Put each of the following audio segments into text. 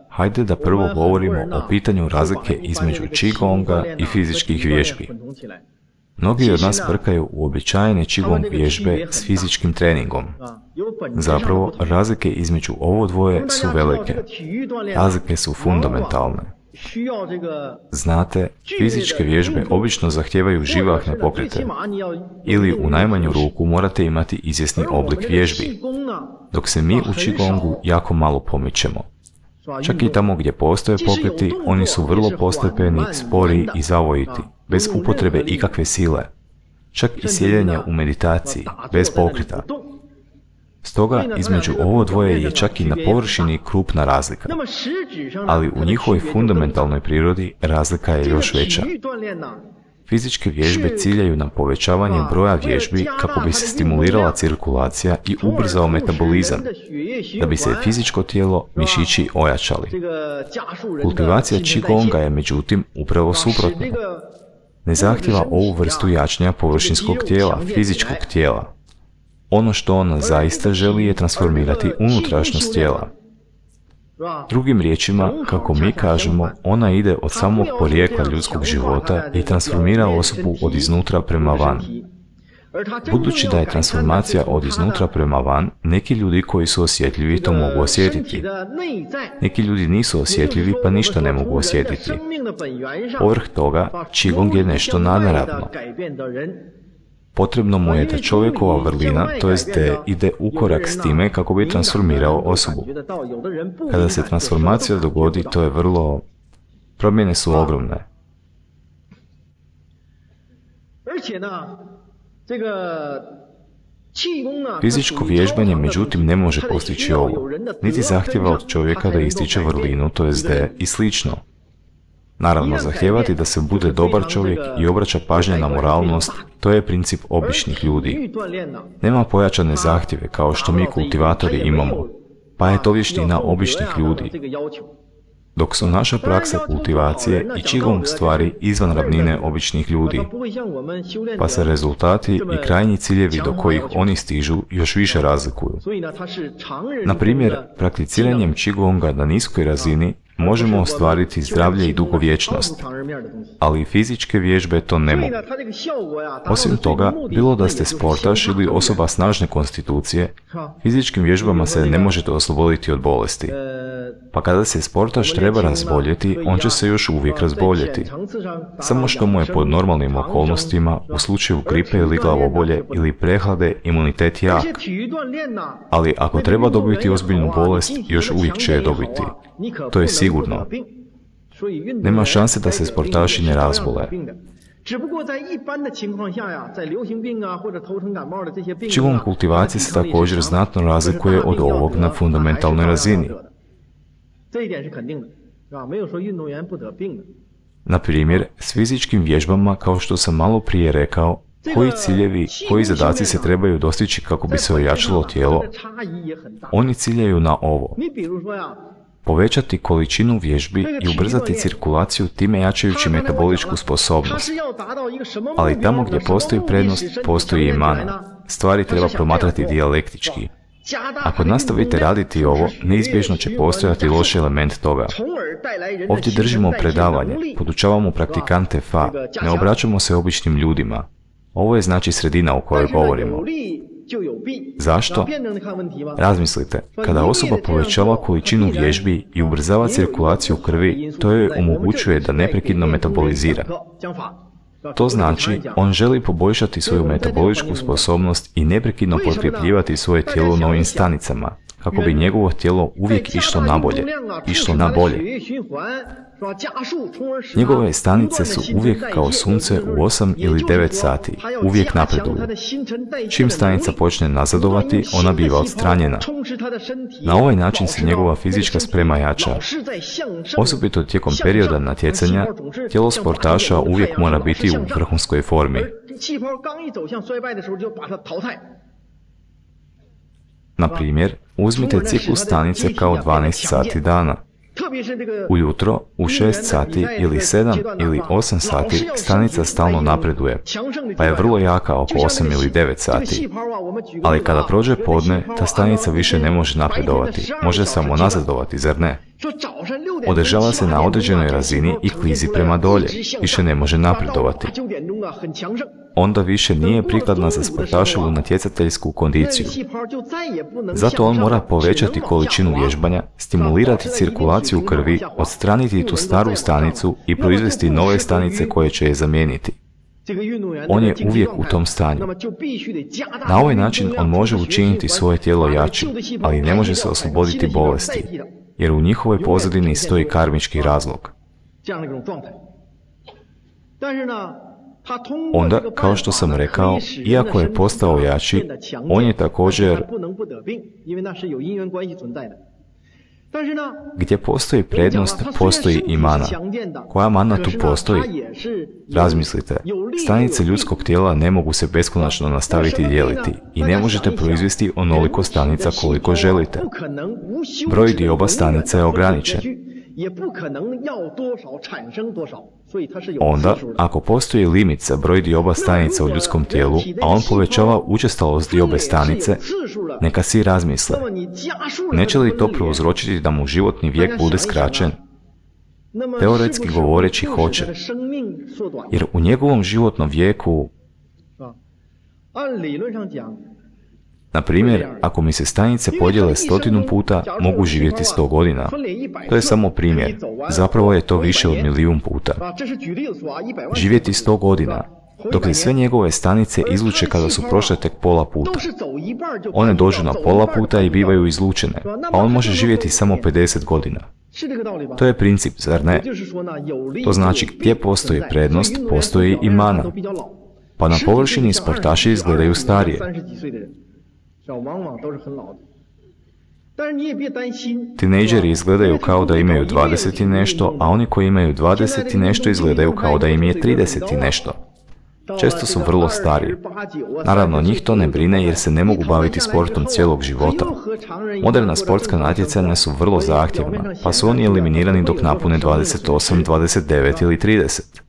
Hajde da prvo govorimo o pitanju razlike između Qigonga i fizičkih vježbi. Mnogi od nas brkaju uobičajene Qigong vježbe s fizičkim treningom. Zapravo, razlike između ovo dvoje su velike. Razlike su fundamentalne. Znate, fizičke vježbe obično zahtijevaju živahne pokrete, ili u najmanju ruku morate imati izvjesni oblik vježbi, dok se mi u Qigongu jako malo pomičemo. Čak i tamo gdje postoje pokreti, oni su vrlo postepeni, spori i zavojiti, bez upotrebe ikakve sile. Čak i sjedenje u meditaciji, bez pokreta. Stoga, između ovo dvoje je čak i na površini krupna razlika. Ali u njihovoj fundamentalnoj prirodi razlika je još veća. Fizičke vježbe ciljaju na povećavanje broja vježbi kako bi se stimulirala cirkulacija i ubrzao metabolizam, da bi se fizičko tijelo, mišići ojačali. Kultivacija Qigonga je međutim upravo suprotna. Ne zahtjeva ovu vrstu jačanja površinskog tijela, fizičkog tijela. Ono što ona zaista želi je transformirati unutrašnjost tijela. Drugim riječima, kako mi kažemo, ona ide od samog porijekla ljudskog života i transformira osobu od iznutra prema van. Budući da je transformacija od iznutra prema van, neki ljudi koji su osjetljivi to mogu osjetiti. Neki ljudi nisu osjetljivi pa ništa ne mogu osjetiti. Povrh toga, Qigong je nešto nadnaravno. Potrebno mu je da čovjekova vrlina, to jest da ide u korak s time kako bi transformirao osobu. Kada se transformacija dogodi, to je vrlo... promjene su ogromne. Fizičko vježbanje međutim ne može postići ovo, niti zahtjeva od čovjeka da ističe vrlinu, to jest da i slično. Naravno, zahtijevati da se bude dobar čovjek i obraća pažnje na moralnost, to je princip običnih ljudi. Nema pojačane zahtjeve kao što mi kultivatori imamo, pa je to vještina običnih ljudi. Dok su naša praksa kultivacije i Qigong stvari izvan ravnine običnih ljudi, pa se rezultati i krajnji ciljevi do kojih oni stižu još više razlikuju. Na primjer, prakticiranjem Qigonga na niskoj razini možemo ostvariti zdravlje i dugovječnost, ali fizičke vježbe to ne mogu. Osim toga, bilo da ste sportaš ili osoba snažne konstitucije, fizičkim vježbama se ne možete osloboditi od bolesti. Pa kada se sportaš treba razboljeti, on će se još uvijek razboljeti. Samo što mu je pod normalnim okolnostima, u slučaju gripe ili glavobolje ili prehlade, imunitet jak. Ali ako treba dobiti ozbiljnu bolest, još uvijek će je dobiti. To je sigurno. Nema šanse da se sportaši ne razbole. Qigong kultivacija se također znatno razlikuje od ovog na fundamentalnoj razini. Na primjer, s fizičkim vježbama, kao što sam malo prije rekao, koji ciljevi, koji zadaci se trebaju dostići kako bi se ojačalo tijelo, oni ciljaju na ovo. Povećati količinu vježbi i ubrzati cirkulaciju time jačajući metaboličku sposobnost. Ali tamo gdje postoji prednost, postoji i mana. Stvari treba promatrati dijalektički. Ako nastavite raditi ovo, neizbježno će postojati loš element toga. Ovdje držimo predavanje, podučavamo praktikante Fa, ne obraćamo se običnim ljudima. Ovo je znači sredina o kojoj govorimo. Zašto? Razmislite, kada osoba povećava količinu vježbi i ubrzava cirkulaciju krvi, to joj omogućuje da neprekidno metabolizira. To znači, on želi poboljšati svoju metaboličku sposobnost i neprekidno potkrepljivati svoje tijelo novim stanicama, kako bi njegovo tijelo uvijek išlo na bolje. Njegove stanice su uvijek kao sunce u 8 ili 9 sati, uvijek napreduju. Čim stanica počne nazadovati, ona biva odstranjena. Na ovaj način se njegova fizička sprema jača. Osobito tijekom perioda natjecanja, tijelo sportaša uvijek mora biti u vrhunskoj formi. Na primjer, uzmite ciklus stanice kao 12 sati dana. Ujutro, u 6 sati ili 7 ili 8 sati stanica stalno napreduje, pa je vrlo jaka oko 8 ili 9 sati. Ali kada prođe podne, ta stanica više ne može napredovati, može samo nazadovati, zar ne? Održava se na određenoj razini i klizi prema dolje, više ne može napredovati. Onda više nije prikladna za sportaševu natjecateljsku kondiciju. Zato on mora povećati količinu vježbanja, stimulirati cirkulaciju krvi, odstraniti tu staru stanicu i proizvesti nove stanice koje će je zamijeniti. On je uvijek u tom stanju. Na ovaj način on može učiniti svoje tijelo jačim, ali ne može se osloboditi bolesti, jer u njihovoj pozadini stoji karmički razlog. Onda, kao što sam rekao, iako je postao jači, on je također... Gdje postoji prednost, postoji i mana. Koja mana tu postoji? Razmislite, stanice ljudskog tijela ne mogu se beskonačno nastaviti dijeliti i ne možete proizvesti onoliko stanica koliko želite. Broj dioba stanica je ograničen. Onda, ako postoji limit za broj dioba stanica u ljudskom tijelu, a on povećava učestalost diobe stanice, neka si razmisle. Neće li to prouzročiti da mu životni vijek bude skraćen? Teoretski govoreći hoće, jer u njegovom životnom vijeku... Na primjer, ako mi se stanice podijele 100 puta, mogu živjeti 100 godina. To je samo primjer. Zapravo je to više od 1.000.000 puta. Živjeti 100 godina, dok se sve njegove stanice izluče kada su prošle tek pola puta. One dođu na pola puta i bivaju izlučene, a on može živjeti samo 50 godina. To je princip, zar ne? To znači gdje postoji prednost, postoji i mana. Pa na površini sportaši izgledaju starije. Tinejdžeri izgledaju kao da imaju 20 i nešto, a oni koji imaju 20 i nešto izgledaju kao da im je 30 i nešto. Često su vrlo stari. Naravno, njih to ne brine jer se ne mogu baviti sportom cijelog života. Moderna sportska natjecanja su vrlo zahtjevna, pa su oni eliminirani dok napune 28, 29 ili 30.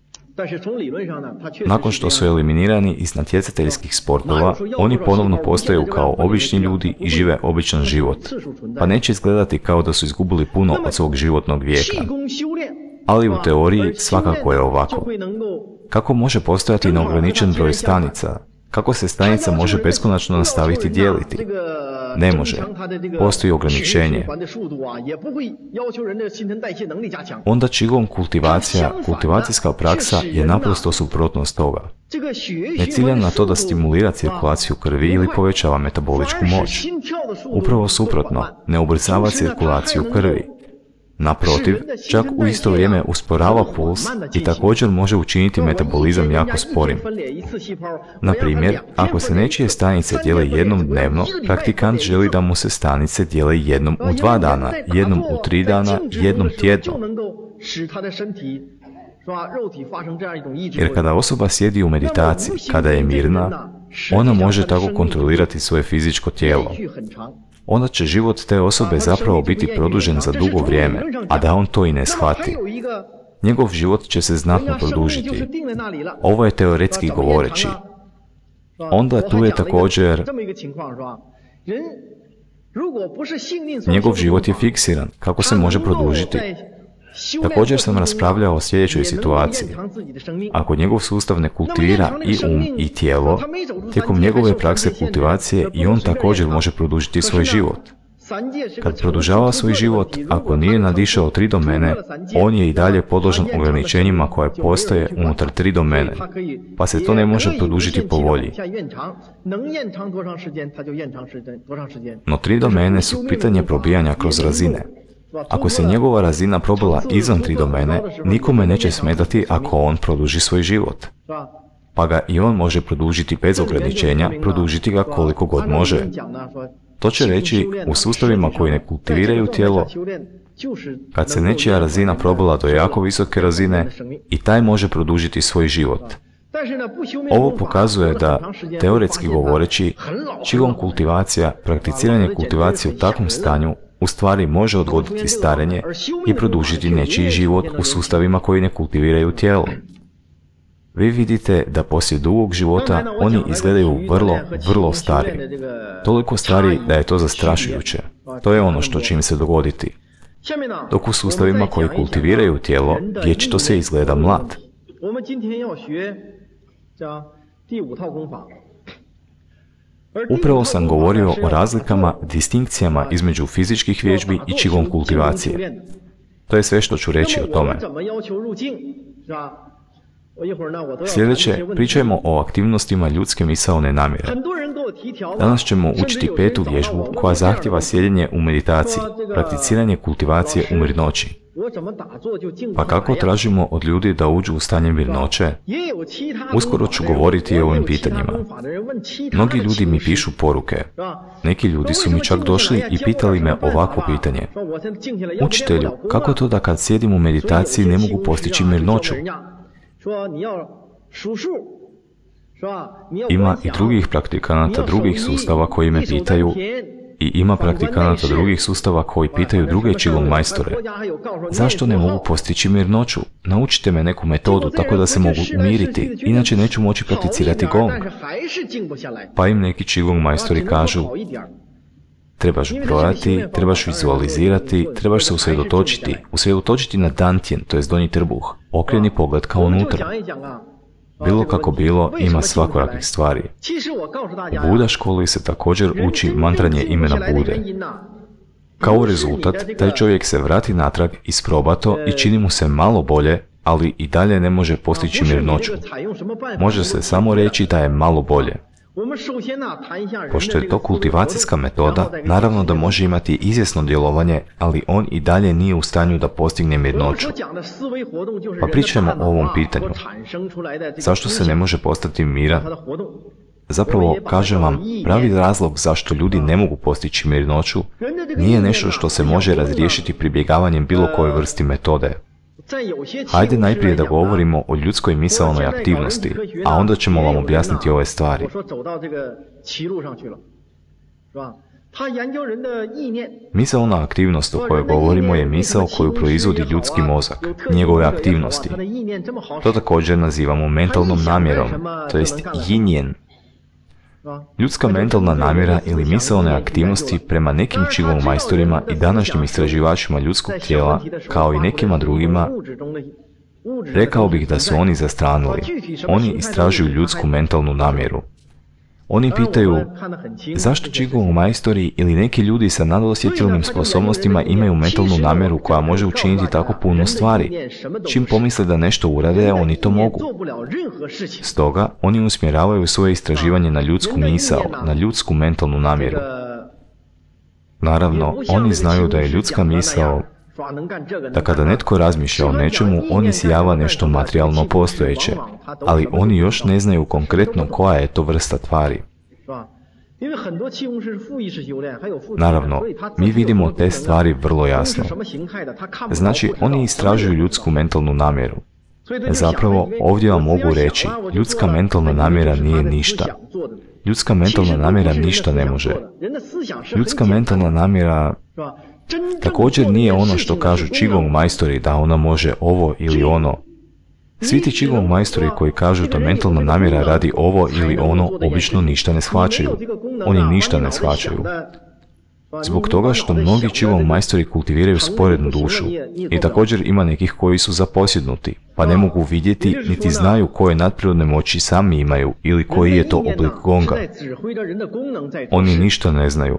Nakon što su eliminirani iz natjecateljskih sportova, oni ponovno postaju kao obični ljudi i žive običan život, pa neće izgledati kao da su izgubili puno od svog životnog vijeka. Ali u teoriji svakako je ovako. Kako može postojati neograničen broj stanica? Kako se stanica može beskonačno nastaviti dijeliti? Ne može. Postoji ograničenje. Onda Qigong kultivacijska praksa je naprosto suprotnost toga. Ne cilja na to da stimulira cirkulaciju krvi ili povećava metaboličku moć. Upravo suprotno, ne ubrzava cirkulaciju krvi. Naprotiv, čak u isto vrijeme usporava puls i također može učiniti metabolizam jako sporim. Na primjer, ako se nečije stanice dijele jednom dnevno, praktikant želi da mu se stanice dijele jednom u 2 dana, jednom u 3 dana, jednom tjedno. Jer kada osoba sjedi u meditaciji, kada je mirna, ona može tako kontrolirati svoje fizičko tijelo. Onda će život te osobe zapravo biti produžen za dugo vrijeme, a da on to i ne shvati. Njegov život će se znatno produžiti. Ovo je teoretski govoreći. Onda tu je također... Njegov život je fiksiran. Kako se može produžiti? Također sam raspravljao o sljedećoj situaciji. Ako njegov sustav ne kultivira i i tijelo, tijekom njegove prakse kultivacije i on također može produžiti svoj život. Kad produžava svoj život, ako nije nadišao 3 domene, on je i dalje podložan ograničenjima koje postoje unutar 3 domene, pa se to ne može produžiti po volji. No 3 domene su pitanje probijanja kroz razine. Ako se njegova razina probila izvan 3 domene, nikome neće smetati ako on produži svoj život. Pa ga i on može produžiti bez ograničenja, produžiti ga koliko god može. To će reći, u sustavima koji ne kultiviraju tijelo, kad se nečija razina probila do jako visoke razine, i taj može produžiti svoj život. Ovo pokazuje da, teoretski govoreći, Qigong kultivacija, prakticiranje kultivacije u takvom stanju, u stvari može odgoditi starenje i produžiti nečiji život u sustavima koji ne kultiviraju tijelo. Vi vidite da poslije dugog života oni izgledaju vrlo stari. Toliko stari da je to zastrašujuće. To je ono što će im se dogoditi. Dok u sustavima koji kultiviraju tijelo, vječito se izgleda mlad. Upravo sam govorio o razlikama, distinkcijama između fizičkih vježbi i Qigong kultivacije. To je sve što ću reći o tome. Sljedeće, pričajmo o aktivnostima ljudske misaone namjere. Danas ćemo učiti petu vježbu koja zahtjeva sjedenje u meditaciji, prakticiranje kultivacije u mirnoći. Pa kako tražimo od ljudi da uđu u stanje mirnoće? Uskoro ću govoriti o ovim pitanjima. Mnogi ljudi mi pišu poruke. Neki ljudi su mi čak došli i pitali me ovakvo pitanje. Učitelju, kako to da kad sjedim u meditaciji ne mogu postići mirnoću? Ima i drugih praktikanata drugih sustava koji me pitaju i ima praktikanata drugih sustava koji pitaju druge Qigong majstore. Zašto ne mogu postići mirnoću? Naučite me neku metodu tako da se mogu umiriti, inače neću moći prakticirati Gong. Pa im neki Qigong majstori kažu, trebaš brojati, trebaš vizualizirati, trebaš se usredotočiti na Dantian, to je donji trbuh, okreni pogled ka unutra. Bilo kako bilo, ima svakojakih stvari. U Buda školi se također uči mantranje imena Bude. Kao rezultat, taj čovjek se vrati natrag, isproba to i čini mu se malo bolje, ali i dalje ne može postići mirnoću. Može se samo reći da je malo bolje. Pošto je to kultivacijska metoda, naravno da može imati izvjesno djelovanje, ali on i dalje nije u stanju da postigne mirnoću. Pa pričajmo o ovom pitanju. Zašto se ne može postati miran? Zapravo, kažem vam, pravi razlog zašto ljudi ne mogu postići mirnoću nije nešto što se može razriješiti pribjegavanjem bilo koje vrsti metode. Hajde najprije da govorimo o ljudskoj misaonoj aktivnosti, a onda ćemo vam objasniti ove stvari. Misaona aktivnost o kojoj govorimo je misao koju proizvodi ljudski mozak, njegove aktivnosti. To također nazivamo mentalnom namjerom, to jest Yinjen. Ljudska mentalna namjera ili misaone aktivnosti prema nekim Qigong majstorima i današnjim istraživačima ljudskog tijela, kao i nekima drugima, rekao bih da su oni zastranili. Oni istražuju ljudsku mentalnu namjeru. Oni pitaju, zašto Qigong majstori ili neki ljudi sa nadosjetilnim sposobnostima imaju mentalnu namjeru koja može učiniti tako puno stvari? Čim pomisle da nešto urade, oni to mogu. Stoga, oni usmjeravaju svoje istraživanje na ljudsku misao, na ljudsku mentalnu namjeru. Naravno, oni znaju da je ljudska misao, da kada netko razmišlja o nečemu, on isijava nešto materijalno postojeće, ali oni još ne znaju konkretno koja je to vrsta tvari. Naravno, mi vidimo te stvari vrlo jasno. Znači, oni istražuju ljudsku mentalnu namjeru. Zapravo, ovdje vam mogu reći, ljudska mentalna namjera nije ništa. Ljudska mentalna namjera ništa ne može. Ljudska mentalna namjera također nije ono što kažu Qigong majstori da ona može ovo ili ono. Svi ti Qigong majstori koji kažu da mentalna namjera radi ovo ili ono obično ništa ne shvaćaju. Oni ništa ne shvaćaju. Zbog toga što mnogi Qigong majstori kultiviraju sporednu dušu i također ima nekih koji su zaposjednuti, pa ne mogu vidjeti niti znaju koje nadprirodne moći sami imaju ili koji je to oblik gonga. Oni ništa ne znaju,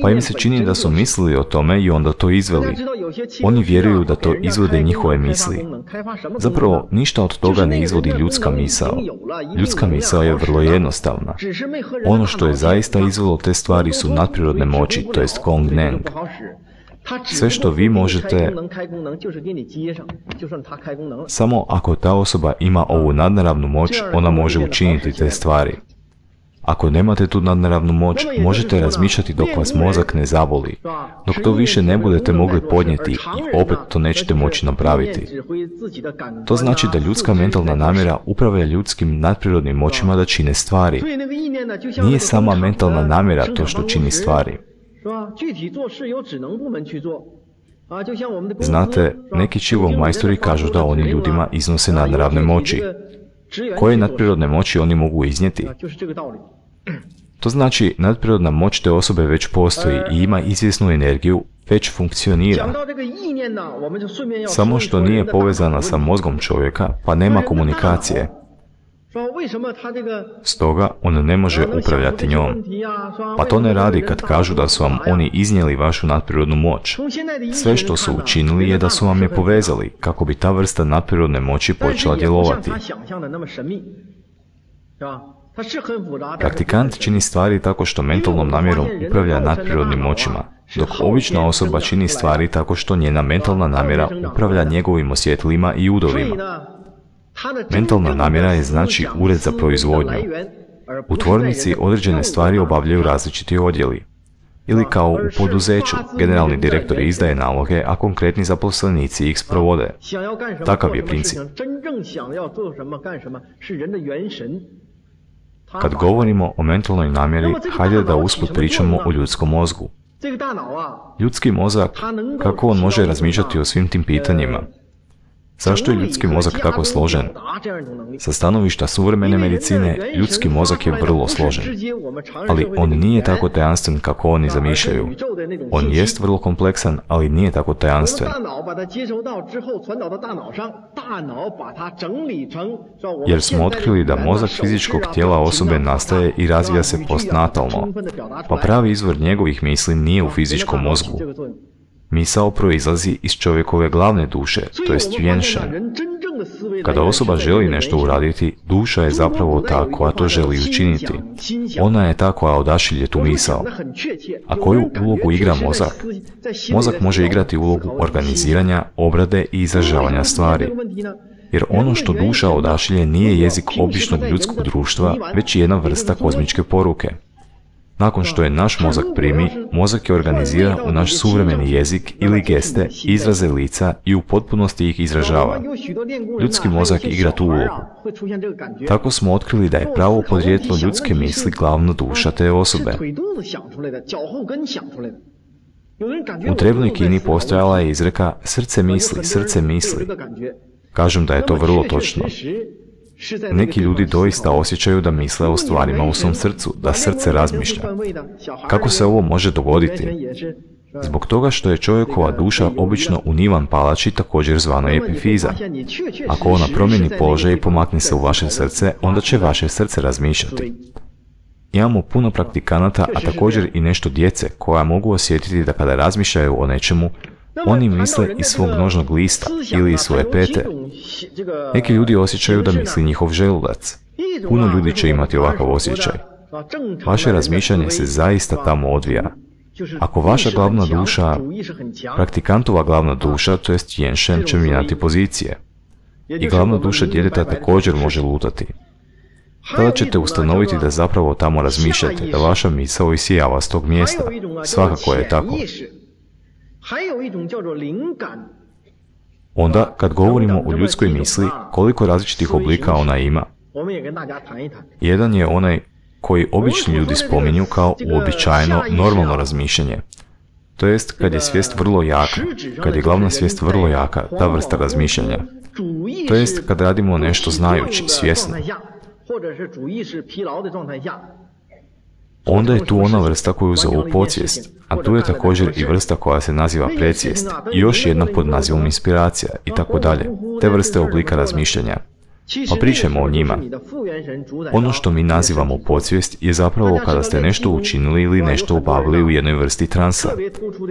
pa im se čini da su mislili o tome i onda to izveli. Oni vjeruju da to izvode njihove misli. Zapravo, ništa od toga ne izvodi ljudska misao. Ljudska misao je vrlo jednostavna. Ono što je zaista izvelo te stvari su nadprirodne moći, to jest Gong Neng. Sve što vi možete, samo ako ta osoba ima ovu nadnaravnu moć, ona može učiniti te stvari. Ako nemate tu nadnaravnu moć, možete razmišljati dok vas mozak ne zaboli. Dok to više ne budete mogli podnijeti i opet to nećete moći napraviti. To znači da ljudska mentalna namjera upravlja ljudskim nadprirodnim moćima da čine stvari. Nije sama mentalna namjera to što čini stvari. Znate, neki Qigong majstori kažu da oni ljudima iznose nadnaravne moći. Koje nadprirodne moći oni mogu iznijeti? To znači, nadprirodna moć te osobe već postoji i ima izvjesnu energiju, već funkcionira. Samo što nije povezana sa mozgom čovjeka, pa nema komunikacije. Stoga on ne može upravljati njom. Pa to ne radi kad kažu da su vam oni iznijeli vašu nadprirodnu moć. Sve što su učinili je da su vam je povezali, kako bi ta vrsta nadprirodne moći počela djelovati. Praktikant čini stvari tako što mentalnom namjerom upravlja nadprirodnim moćima, dok obična osoba čini stvari tako što njena mentalna namjera upravlja njegovim osjetilima i udovima. Mentalna namjera je znači ured za proizvodnju. U tvornici određene stvari obavljaju različiti odjeli. Ili kao u poduzeću, generalni direktor izdaje naloge, a konkretni zaposlenici ih sprovode. Takav je princip. Kad govorimo o mentalnoj namjeri, hajde da usput pričamo o ljudskom mozgu. Ljudski mozak, kako on može razmišljati o svim tim pitanjima? Zašto je ljudski mozak tako složen? Sa stanovišta suvremene medicine, ljudski mozak je vrlo složen. Ali on nije tako tajanstven kako oni zamišljaju. On jest vrlo kompleksan, ali nije tako tajanstven. Jer smo otkrili da mozak fizičkog tijela osobe nastaje i razvija se postnatalno, pa pravi izvor njegovih misli nije u fizičkom mozgu. Misao proizlazi iz čovjekove glavne duše, to jest Yuanshen. Kada osoba želi nešto uraditi, duša je zapravo ta koja to želi učiniti. Ona je ta koja odašilje tu misao. A koju ulogu igra mozak? Mozak može igrati ulogu organiziranja, obrade i izražavanja stvari. Jer ono što duša odašilje nije jezik običnog ljudskog društva, već jedna vrsta kozmičke poruke. Nakon što je naš mozak primi, mozak je organizira u naš suvremeni jezik ili geste, izraze lica i u potpunosti ih izražava. Ljudski mozak igra tu ulogu. Tako smo otkrili da je pravo podrijetlo ljudske misli glavna duša te osobe. U drevnoj Kini postojala je izreka srce misli, srce misli. Kažem da je to vrlo točno. Neki ljudi doista osjećaju da misle o stvarima u svom srcu, da srce razmišlja. Kako se ovo može dogoditi? Zbog toga što je čovjekova duša obično u nivan palači, također zvana epifiza. Ako ona promijeni položaj i pomakne se u vaše srce, onda će vaše srce razmišljati. Imamo puno praktikanata, a također i nešto djece, koja mogu osjetiti da kada razmišljaju o nečemu, oni misle iz svog nožnog lista ili iz svoje pete. Neki ljudi osjećaju da misli njihov želudac. Puno ljudi će imati ovakav osjećaj. Vaše razmišljanje se zaista tamo odvija. Ako vaša glavna duša, praktikantova glavna duša, to jest Yuanshen, će mijenjati pozicije. I glavna duša djeteta također može lutati. Tada ćete ustanoviti da zapravo tamo razmišljate, da vaša misao isijava s tog mjesta. Svakako je tako. Onda, kad govorimo o ljudskoj misli, koliko različitih oblika ona ima? Jedan je onaj koji obični ljudi spominju kao uobičajeno normalno razmišljanje. To jest, kad je svijest vrlo jaka, kad je glavna svijest vrlo jaka, ta vrsta razmišljanja. To jest, kad radimo nešto znajući, svjesno. Onda je tu ona vrsta koju zovu podsvijest, a tu je također i vrsta koja se naziva predsvijest i još jedna pod nazivom inspiracija i tako dalje, te vrste oblika razmišljanja. Pa pričajmo o njima. Ono što mi nazivamo podsvijest je zapravo kada ste nešto učinili ili nešto obavili u jednoj vrsti transa,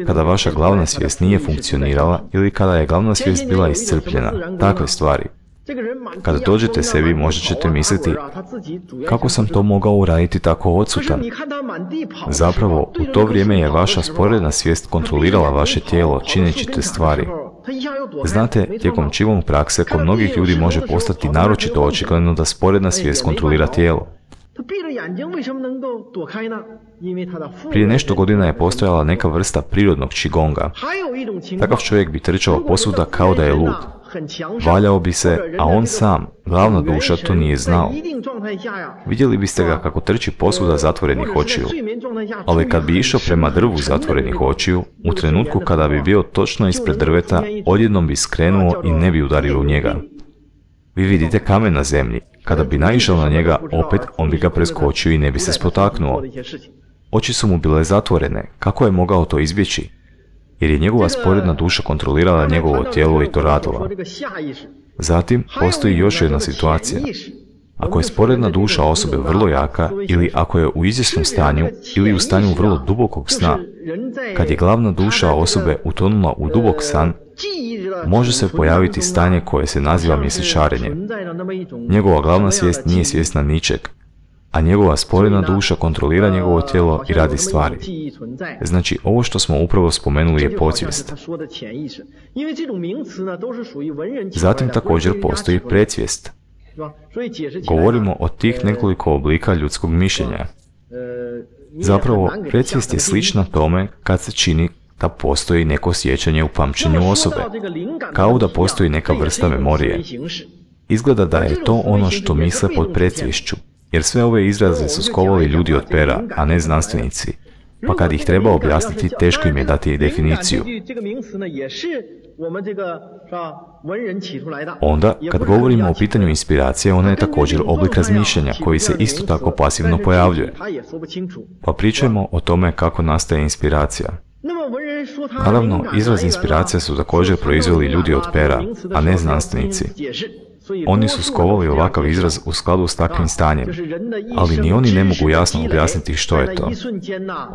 kada vaša glavna svijest nije funkcionirala ili kada je glavna svijest bila iscrpljena, takve stvari. Kada dođete sebi, možda ćete misliti, kako sam to mogao uraditi tako odsutan? Zapravo, u to vrijeme je vaša sporedna svijest kontrolirala vaše tijelo, čineći te stvari. Znate, tijekom Qigong prakse kod mnogih ljudi može postati naročito očigledno da sporedna svijest kontrolira tijelo. Prije nešto godina je postojala neka vrsta prirodnog qigonga. Takav čovjek bi trčao posvuda kao da je lud. Valjao bi se, a on sam, glavna duša, to nije znao. Vidjeli biste ga kako trči posvuda zatvorenih očiju. Ali kad bi išao prema drvu zatvorenih očiju, u trenutku kada bi bio točno ispred drveta, odjednom bi skrenuo i ne bi udario u njega. Vi vidite kamen na zemlji. Kada bi naišao na njega, opet on bi ga preskočio i ne bi se spotaknuo. Oči su mu bile zatvorene. Kako je mogao to izbjeći? Jer je njegova sporedna duša kontrolirala njegovo tijelo i to radila. Zatim, postoji još jedna situacija. Ako je sporedna duša osobe vrlo jaka, ili ako je u izvjesnom stanju, ili u stanju vrlo dubokog sna, kad je glavna duša osobe utonula u dubok san, može se pojaviti stanje koje se naziva mjesečarenje. Njegova glavna svijest nije svjesna ničeg, a njegova sporedna duša kontrolira njegovo tijelo i radi stvari. Znači, ovo što smo upravo spomenuli je podsvijest. Zatim također postoji predsvijest. Govorimo o tih nekoliko oblika ljudskog mišljenja. Zapravo, predsvijest je slična tome kad se čini da postoji neko sjećanje u pamćenju osobe, kao da postoji neka vrsta memorije. Izgleda da je to ono što misle pod predsviješću, jer sve ove izraze su skovali ljudi od pera, a ne znanstvenici, pa kad ih treba objasniti, teško im je dati definiciju. Onda, kad govorimo o pitanju inspiracije, ona je također oblik razmišljanja koji se isto tako pasivno pojavljuje. Pa pričajmo o tome kako nastaje inspiracija. Naravno, izraz inspiracija su također proizveli ljudi od pera, a ne znanstvenici. Oni su skovali ovakav izraz u skladu s takvim stanjem, ali ni oni ne mogu jasno objasniti što je to.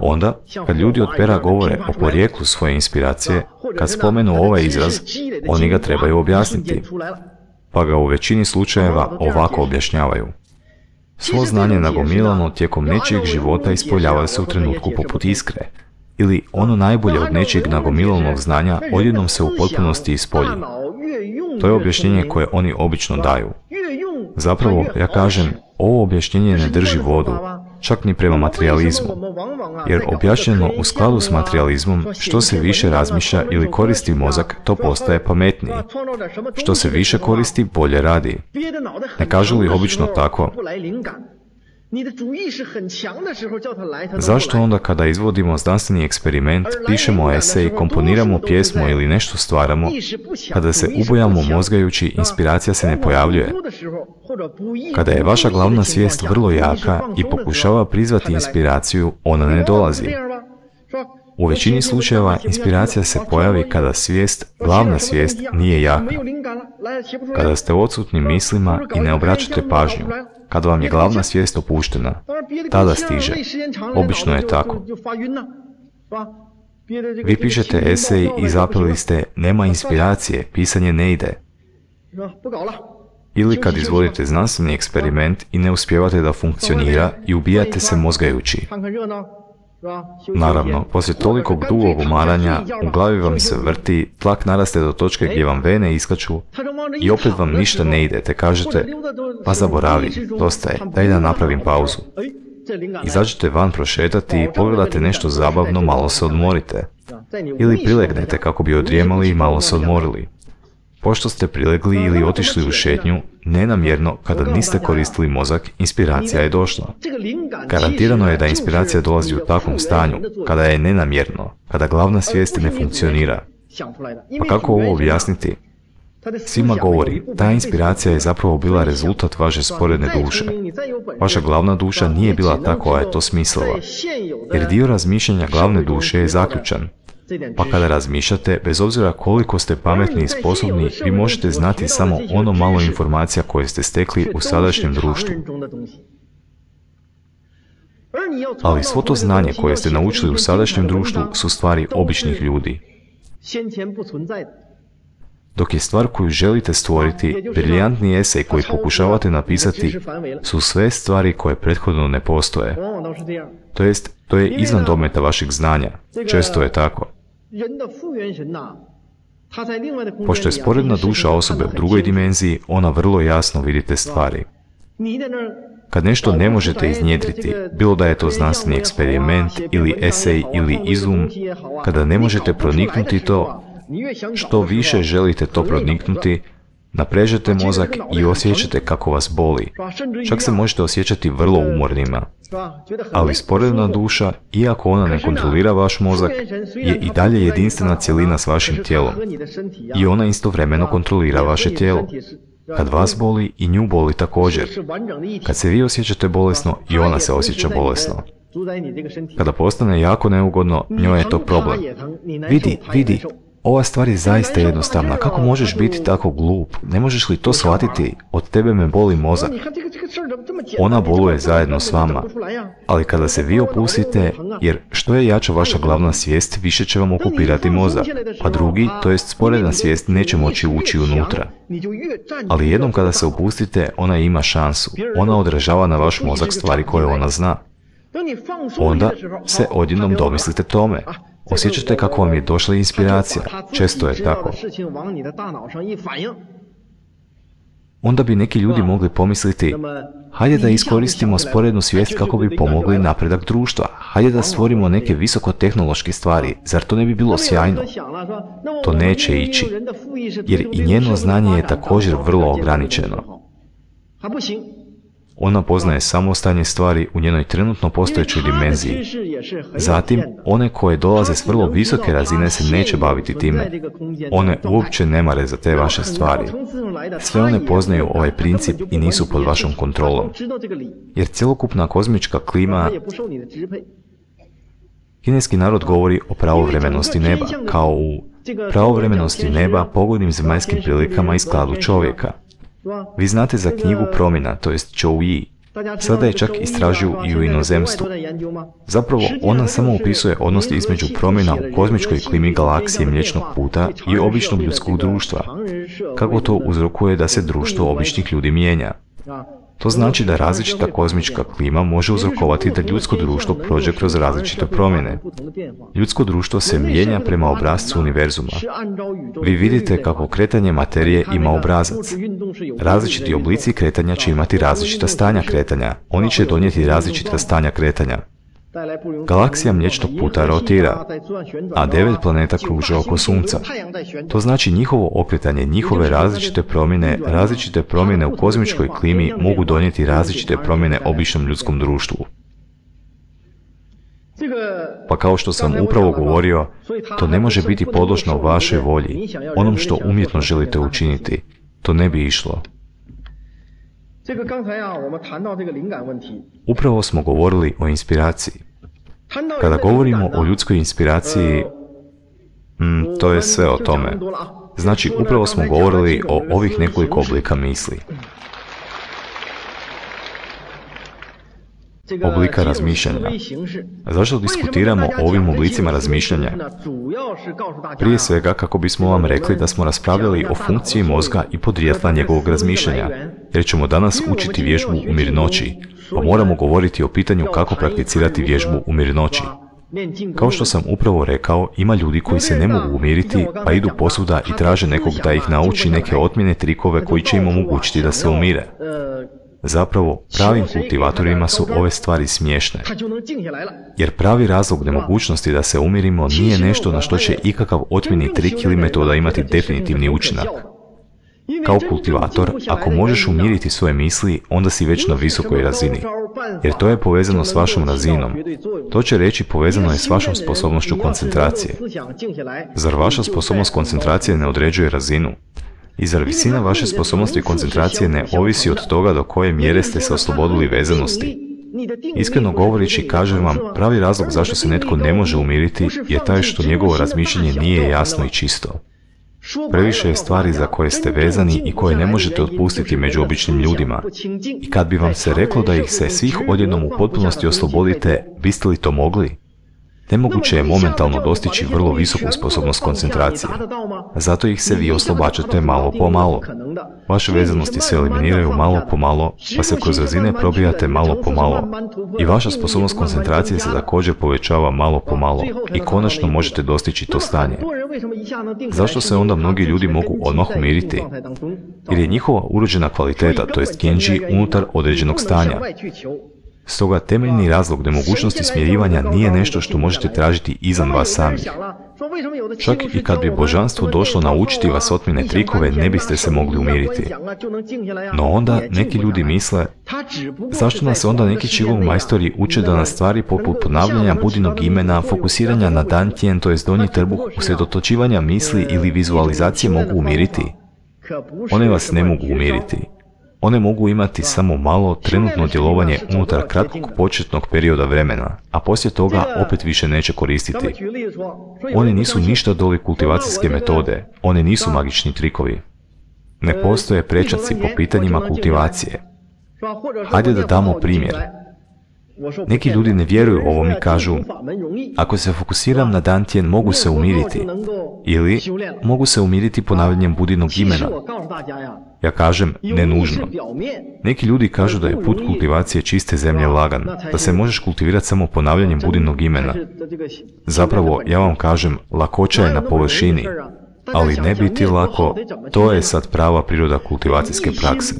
Onda, kad ljudi od pera govore o porijeklu svoje inspiracije, kad spomenu ovaj izraz, oni ga trebaju objasniti, pa ga u većini slučajeva ovako objašnjavaju. Svo znanje nagomilano tijekom nečijeg života ispoljava se u trenutku poput iskre, ili ono najbolje od nečijeg nagomilanog znanja odjednom se u potpunosti ispolji. To je objašnjenje koje oni obično daju. Zapravo, ja kažem, ovo objašnjenje ne drži vodu, čak ni prema materializmu. Jer objašnjeno u skladu s materializmom, što se više razmišlja ili koristi mozak, to postaje pametniji. Što se više koristi, bolje radi. Ne kažu li obično tako? Zašto onda kada izvodimo znanstveni eksperiment, pišemo esej, komponiramo pjesmu ili nešto stvaramo, kada se ubojamo mozgajući, inspiracija se ne pojavljuje? Kada je vaša glavna svijest vrlo jaka i pokušava prizvati inspiraciju, ona ne dolazi. U većini slučajeva inspiracija se pojavi kada svijest, glavna svijest, nije jaka. Kada ste odsutni mislima i ne obraćate pažnju, kada vam je glavna svijest opuštena, tada stiže. Obično je tako. Vi pišete esej i zapeli ste nema inspiracije, pisanje ne ide. Ili kad izvodite znanstveni eksperiment i ne uspijevate da funkcionira i ubijate se mozgajući. Naravno, poslije tolikog dugog umaranja, u glavi vam se vrti, tlak naraste do točke gdje vam vene iskaču i opet vam ništa ne ide, te kažete, pa zaboravi, dosta je, daj da napravim pauzu. Izađete van prošetati i pogledate nešto zabavno, malo se odmorite. Ili prilegnete kako bi odrijemali i malo se odmorili. Pošto ste prilegli ili otišli u šetnju, nenamjerno, kada niste koristili mozak, inspiracija je došla. Garantirano je da inspiracija dolazi u takvom stanju, kada je nenamjerno, kada glavna svijest ne funkcionira. Pa kako ovo objasniti? Svima govori, ta inspiracija je zapravo bila rezultat vaše sporedne duše. Vaša glavna duša nije bila ta koja je to smislila, jer dio razmišljanja glavne duše je zaključan. Pa kada razmišljate, bez obzira koliko ste pametni i sposobni, vi možete znati samo ono malo informacija koje ste stekli u sadašnjem društvu. Ali svo to znanje koje ste naučili u sadašnjem društvu su stvari običnih ljudi. Dok je stvar koju želite stvoriti, briljantni esej koji pokušavate napisati, su sve stvari koje prethodno ne postoje. To jest, to je izvan dometa vašeg znanja. Često je tako. Pošto je sporedna duša osobe u drugoj dimenziji, ona vrlo jasno vidi te stvari. Kad nešto ne možete iznjedriti, bilo da je to znanstveni eksperiment ili esej ili izum, kada ne možete proniknuti to, što više želite to proniknuti, naprežete mozak i osjećate kako vas boli. Čak se možete osjećati vrlo umornima. Ali sporedna duša, iako ona ne kontrolira vaš mozak, je i dalje jedinstvena cjelina s vašim tijelom. I ona istovremeno kontrolira vaše tijelo. Kad vas boli, i nju boli također. Kad se vi osjećate bolesno, i ona se osjeća bolesno. Kada postane jako neugodno, njoj je to problem. Vidi, ova stvar je zaista jednostavna. Kako možeš biti tako glup? Ne možeš li to shvatiti? Od tebe me boli mozak. Ona boluje zajedno s vama. Ali kada se vi opustite, jer što je jača vaša glavna svijest, više će vam okupirati mozak, a drugi, to jest sporedna svijest, neće moći ući unutra. Ali jednom kada se opustite, ona ima šansu. Ona odražava na vaš mozak stvari koje ona zna. Onda se odjednom domislite tome. Osjećate kako vam je došla inspiracija. Često je tako. Onda bi neki ljudi mogli pomisliti, hajde da iskoristimo sporednu svijest kako bi pomogli napredak društva. Hajde da stvorimo neke visokotehnološke stvari. Zar to ne bi bilo sjajno? To neće ići, jer i njeno znanje je također vrlo ograničeno. Ona poznaje samo stanje stvari u njenoj trenutno postojećoj dimenziji. Zatim, one koje dolaze s vrlo visoke razine se neće baviti time. One uopće ne mare za te vaše stvari. Sve one poznaju ovaj princip i nisu pod vašom kontrolom. Jer cjelokupna kozmička klima... Kineski narod govori o pravovremenosti neba, kao u pravovremenosti neba pogodnim zemaljskim prilikama i skladu čovjeka. Vi znate za knjigu Promjena, to jest Chou-Yi. Sada je čak istražuju i u inozemstvu. Zapravo, ona samo opisuje odnos između promjena u kozmičkoj klimi galaksije Mliječnog puta i običnog ljudskog društva. Kako to uzrokuje da se društvo običnih ljudi mijenja? To znači da različita kozmička klima može uzrokovati da ljudsko društvo prođe kroz različite promjene. Ljudsko društvo se mijenja prema obrascu univerzuma. Vi vidite kako kretanje materije ima obrazac. Različiti oblici kretanja će imati različita stanja kretanja. Oni će donijeti različita stanja kretanja. Galaksija Mliječnog puta rotira, a 9 planeta kruže oko Sunca. To znači njihovo okretanje, njihove različite promjene u kozmičkoj klimi mogu donijeti različite promjene običnom ljudskom društvu. Pa kao što sam upravo govorio, to ne može biti podložno vašoj volji, onom što umjetno želite učiniti. To ne bi išlo. Upravo smo govorili o inspiraciji. Kada govorimo o ljudskoj inspiraciji, to je sve o tome. Znači, upravo smo govorili o ovih nekoliko oblika misli. Oblika razmišljanja. Zašto diskutiramo o ovim oblicima razmišljanja? Prije svega kako bismo vam rekli da smo raspravljali o funkciji mozga i podrijetla njegovog razmišljanja, jer ćemo danas učiti vježbu u mirnoći, pa moramo govoriti o pitanju kako prakticirati vježbu u mirnoći. Kao što sam upravo rekao, ima ljudi koji se ne mogu umiriti, pa idu posvuda i traže nekog da ih nauči neke otmjene trikove koji će im omogućiti da se umire. Zapravo, pravim kultivatorima su ove stvari smiješne. Jer pravi razlog nemogućnosti da se umirimo nije nešto na što će ikakav otmjeni trik ili metoda imati definitivni učinak. Kao kultivator, ako možeš umiriti svoje misli, onda si već na visokoj razini. Jer to je povezano s vašom razinom. To će reći povezano je s vašom sposobnošću koncentracije. Zar vaša sposobnost koncentracije ne određuje razinu? I zar visina vaše sposobnosti koncentracije ne ovisi od toga do koje mjere ste se oslobodili vezanosti? Iskreno govoreći, kažem vam, pravi razlog zašto se netko ne može umiriti je taj što njegovo razmišljanje nije jasno i čisto. Previše je stvari za koje ste vezani i koje ne možete otpustiti među običnim ljudima. I kad bi vam se reklo da ih se svih odjednom u potpunosti oslobodite, biste li to mogli? Nemoguće je momentalno dostići vrlo visoku sposobnost koncentracije. Zato ih se vi oslobađate malo po malo. Vaše vezanosti se eliminiraju malo po malo, pa se kroz razine probijate malo po malo. I vaša sposobnost koncentracije se također povećava malo po malo i konačno možete dostići to stanje. Zašto se onda mnogi ljudi mogu odmah umiriti? Jer je njihova urođena kvaliteta, to jest genji, unutar određenog stanja. Stoga temeljni razlog nemogućnosti smirivanja nije nešto što možete tražiti izvan vas samih. Čak i kad bi božanstvo došlo naučiti vas otmjene trikove, ne biste se mogli umiriti. No onda neki ljudi misle, zašto nas onda neki Qigong majstori uče da nas stvari poput ponavljanja budinog imena, fokusiranja na dantian, to jest donji trbuh, usredotočivanja misli ili vizualizacije mogu umiriti? One vas ne mogu umiriti. One mogu imati samo malo trenutno djelovanje unutar kratkog početnog perioda vremena, a poslije toga opet više neće koristiti. One nisu ništa doli kultivacijske metode, one nisu magični trikovi. Ne postoje prečaci po pitanjima kultivacije. Hajde da damo primjer. Neki ljudi ne vjeruju ovom i kažu, ako se fokusiram na dantian mogu se umiriti, ili mogu se umiriti ponavljanjem budinog imena. Ja kažem, ne nužno. Neki ljudi kažu da je put kultivacije čiste zemlje lagan, da se možeš kultivirati samo ponavljanjem budinog imena. Zapravo, ja vam kažem, lakoća je na površini, ali ne biti lako, to je sad prava priroda kultivacijske prakse.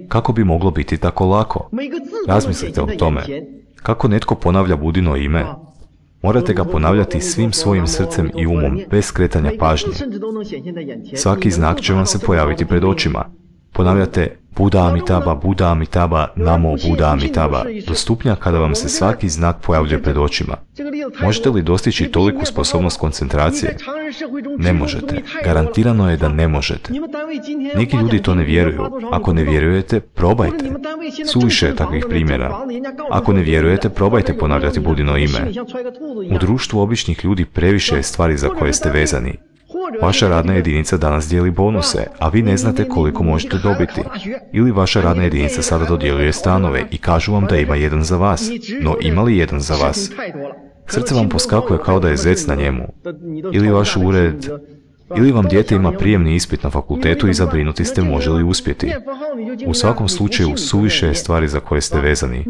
Kako bi moglo biti tako lako? Razmislite o tome. Kako netko ponavlja budino ime? Morate ga ponavljati svim svojim srcem i umom, bez skretanja pažnje. Svaki znak će vam se pojaviti pred očima. Ponavljate Buddha Amitabha, Buddha Amitabha, Namo Buddha Amitabha, do stupnja kada vam se svaki znak pojavljuje pred očima. Možete li dostići toliku sposobnost koncentracije? Ne možete. Garantirano je da ne možete. Neki ljudi to ne vjeruju. Ako ne vjerujete, probajte. Suviše je takvih primjera. Ako ne vjerujete, probajte ponavljati budino ime. U društvu običnih ljudi previše je stvari za koje ste vezani. Vaša radna jedinica danas dijeli bonuse, a vi ne znate koliko možete dobiti. Ili vaša radna jedinica sada dodjeljuje stanove i kažu vam da ima jedan za vas, no ima li jedan za vas? Srce vam poskakuje kao da je zec na njemu. Ili vaš ured, ili vam dijete ima prijemni ispit na fakultetu i zabrinuti ste može li uspjeti. U svakom slučaju suviše je stvari za koje ste vezani.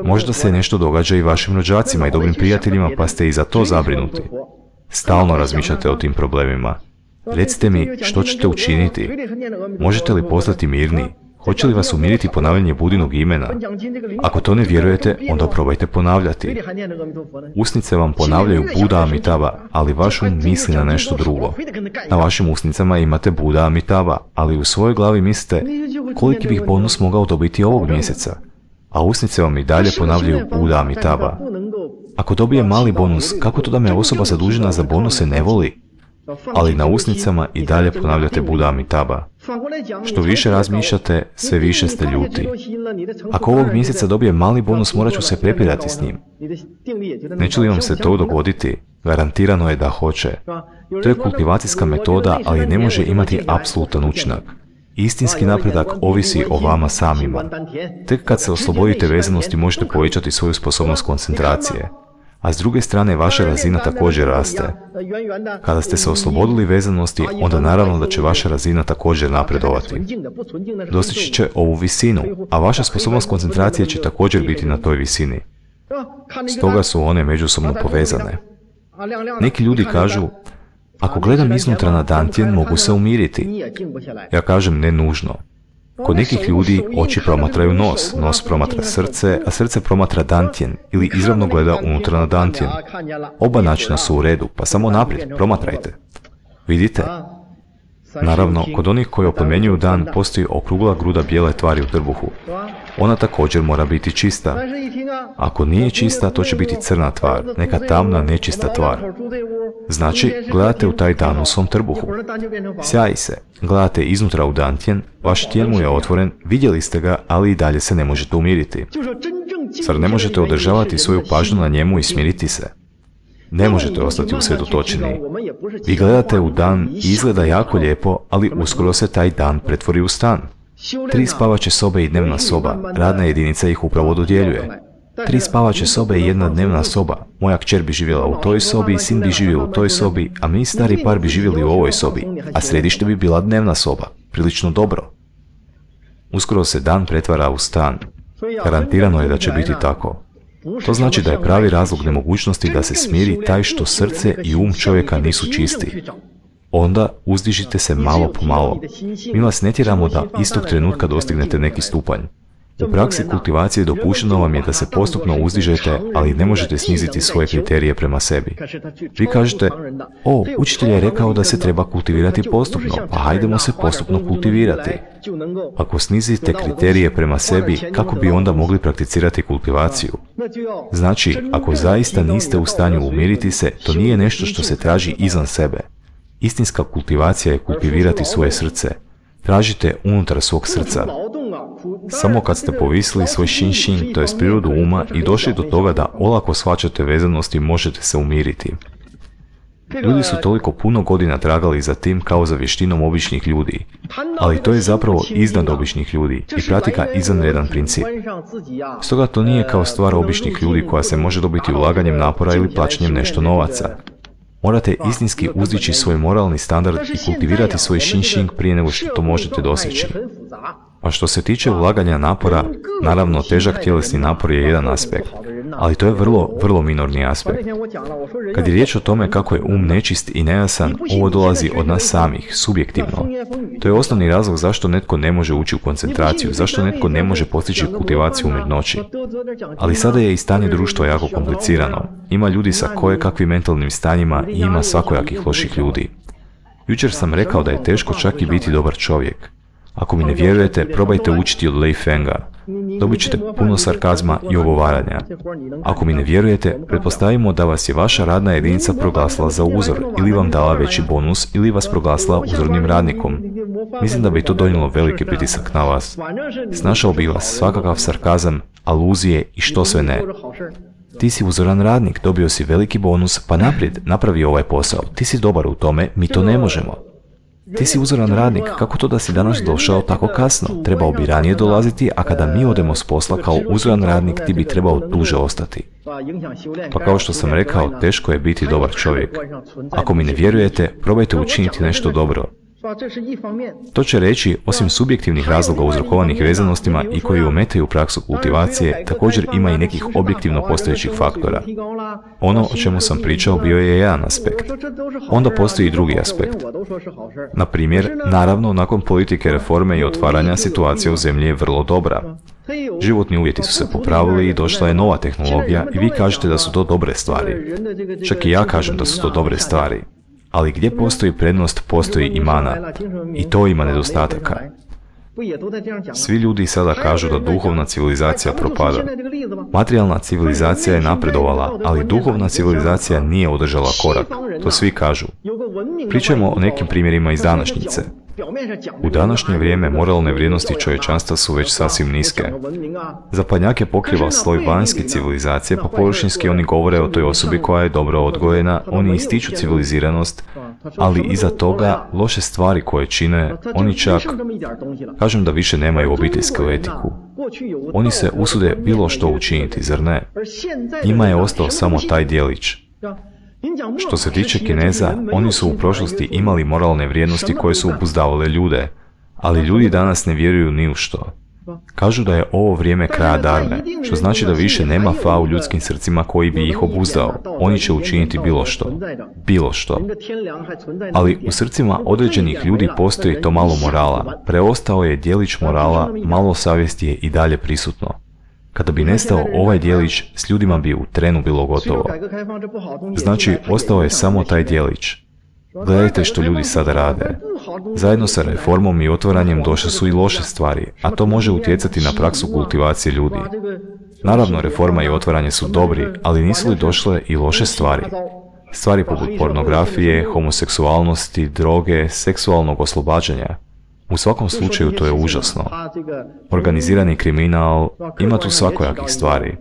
Možda se nešto događa i vašim rođacima i dobrim prijateljima pa ste i za to zabrinuti. Stalno razmišljate o tim problemima. Recite mi, što ćete učiniti? Možete li postati mirni? Hoće li vas umiriti ponavljanje budinog imena? Ako to ne vjerujete, onda probajte ponavljati. Usnice vam ponavljaju Buddha Amitabha, ali vaš um misli na nešto drugo. Na vašim usnicama imate Buddha Amitabha, ali u svojoj glavi mislite koliki bih bonus mogao dobiti ovog mjeseca, a usnice vam i dalje ponavljaju Buddha Amitabha. Ako dobije mali bonus, kako to da me osoba zadužena za bonuse ne voli? Ali na usnicama i dalje ponavljate Buddha Amitabha. Što više razmišljate, sve više ste ljuti. Ako ovog mjeseca dobije mali bonus, morat ću se prepirati s njim. Neće li vam se to dogoditi? Garantirano je da hoće. To je kultivacijska metoda, ali ne može imati apsolutan učinak. Istinski napredak ovisi o vama samima. Tek kad se oslobodite vezanosti možete povećati svoju sposobnost koncentracije. A s druge strane vaša razina također raste. Kada ste se oslobodili vezanosti, onda naravno da će vaša razina također napredovati. Dostići će ovu visinu, a vaša sposobnost koncentracije će također biti na toj visini. Stoga su one međusobno povezane. Neki ljudi kažu, ako gledam iznutra na dantian, mogu se umiriti. Ja kažem ne nužno. Kod nekih ljudi oči promatraju nos, nos promatra srce, a srce promatra dantian ili izravno gleda unutra na dantian. Oba načina su u redu, pa samo naprijed, promatrajte. Vidite? Naravno, kod onih koji oplemenjuju dan postoji okrugla gruda bijele tvari u trbuhu. Ona također mora biti čista. Ako nije čista, to će biti crna tvar, neka tamna, nečista tvar. Znači, gledate u taj dan u svom trbuhu. Sjaji se, gledate iznutra u dantian, vaš tijen mu je otvoren, vidjeli ste ga, ali i dalje se ne možete umiriti. Zar ne možete održavati svoju pažnju na njemu i smiriti se? Ne možete ostati usredotočeni. Vi gledate u dan i izgleda jako lijepo, ali uskoro se taj dan pretvori u stan. 3 spavaće sobe i dnevna soba, radna jedinica ih upravo dodjeljuje. 3 spavaće sobe i 1 dnevna soba. Moja kćer bi živjela u toj sobi, sin bi živio u toj sobi, a mi stari par bi živjeli u ovoj sobi, a središte bi bila dnevna soba. Prilično dobro. Uskoro se dan pretvara u stan. Garantirano je da će biti tako. To znači da je pravi razlog nemogućnosti da se smiri taj što srce i čovjeka nisu čisti. Onda uzdižite se malo po malo. Mi vas ne tjeramo da istog trenutka dostignete neki stupanj. U praksi kultivacije dopušteno vam je da se postupno uzdižete, ali ne možete sniziti svoje kriterije prema sebi. Vi kažete, učitelj je rekao da se treba kultivirati postupno, pa hajdemo se postupno kultivirati. Ako snizite kriterije prema sebi, kako bi onda mogli prakticirati kultivaciju? Znači, ako zaista niste u stanju umiriti se, to nije nešto što se traži izvan sebe. Istinska kultivacija je kultivirati svoje srce. Tražite unutar svog srca. Samo kad ste povisili svoj Xin-Xin, to je prirodu uma, i došli do toga da olako shvaćate vezanosti, možete se umiriti. Ljudi su toliko puno godina tragali za tim kao za vještinom običnih ljudi, ali to je zapravo iznad običnih ljudi i pratika izvanredan princip. Stoga to nije kao stvar običnih ljudi koja se može dobiti ulaganjem napora ili plaćanjem nešto novaca. Morate istinski uzdići svoj moralni standard i kultivirati svoj Xin-Xin prije nego što to možete doseći. A što se tiče ulaganja napora, naravno težak tjelesni napor je jedan aspekt, ali to je vrlo minorni aspekt. Kad je riječ o tome kako je nečist i nejasan, ovo dolazi od nas samih, subjektivno. To je osnovni razlog zašto netko ne može ući u koncentraciju, zašto netko ne može postići kultivaciju umjetnoći. Ali sada je i stanje društva jako komplicirano. Ima ljudi sa kojekakvim mentalnim stanjima i ima svakojakih loših ljudi. Jučer sam rekao da je teško čak i biti dobar čovjek. Ako mi ne vjerujete, probajte učiti od Lei Fenga. Dobit ćete puno sarkazma i ogovaranja. Ako mi ne vjerujete, pretpostavimo da vas je vaša radna jedinica proglasila za uzor, ili vam dala veći bonus, ili vas proglasila uzornim radnikom. Mislim da bi to donijelo veliki pritisak na vas. Snašao bi vas svakakav sarkazam, aluzije i što sve ne. Ti si uzoran radnik, dobio si veliki bonus, pa naprijed, napravi ovaj posao. Ti si dobar u tome, mi to ne možemo. Ti si uzoran radnik, kako to da si danas došao tako kasno? Trebao bi ranije dolaziti, a kada mi odemo s posla kao uzoran radnik, ti bi trebao duže ostati. Pa kao što sam rekao, teško je biti dobar čovjek. Ako mi ne vjerujete, probajte učiniti nešto dobro. To će reći, osim subjektivnih razloga uzrokovanih vezanostima i koji ometaju praksu kultivacije, također ima i nekih objektivno postojećih faktora. Ono o čemu sam pričao bio je jedan aspekt. Onda postoji i drugi aspekt. Na primjer, naravno, nakon politike reforme i otvaranja, situacija u zemlji je vrlo dobra. Životni uvjeti su se popravili i došla je nova tehnologija i vi kažete da su to dobre stvari. Čak i ja kažem da su to dobre stvari. Ali gdje postoji prednost, postoji i mana. I to ima nedostataka. Svi ljudi sada kažu da duhovna civilizacija propada. Materijalna civilizacija je napredovala, ali duhovna civilizacija nije održala korak. To svi kažu. Pričajmo o nekim primjerima iz današnjice. U današnje vrijeme moralne vrijednosti čovječanstva su već sasvim niske. Zapadnjake pokriva sloj vanjske civilizacije, pa površinski oni govore o toj osobi koja je dobro odgojena, oni ističu civiliziranost, ali iza toga loše stvari koje čine, oni čak, kažem da više nemaju obiteljsku etiku. Oni se usude bilo što učiniti, zar ne? Njima je ostao samo taj djelić. Što se tiče Kineza, oni su u prošlosti imali moralne vrijednosti koje su obuzdavale ljude, ali ljudi danas ne vjeruju ni u što. Kažu da je ovo vrijeme kraja darme, što znači da više nema fa u ljudskim srcima koji bi ih obuzdao. Oni će učiniti bilo što. Bilo što. Ali u srcima određenih ljudi postoji to malo morala. Preostao je djelić morala, malo savjesti je i dalje prisutno. Kada bi nestao ovaj djelić, s ljudima bi u trenu bilo gotovo. Znači, ostao je samo taj djelić. Gledajte što ljudi sada rade. Zajedno sa reformom i otvaranjem došle su i loše stvari, a to može utjecati na praksu kultivacije ljudi. Naravno, reforma i otvaranje su dobri, ali nisu li došle i loše stvari? Stvari poput pornografije, homoseksualnosti, droge, seksualnog oslobađanja. U svakom slučaju to je užasno. Organizirani kriminal, ima tu svakojakih stvari.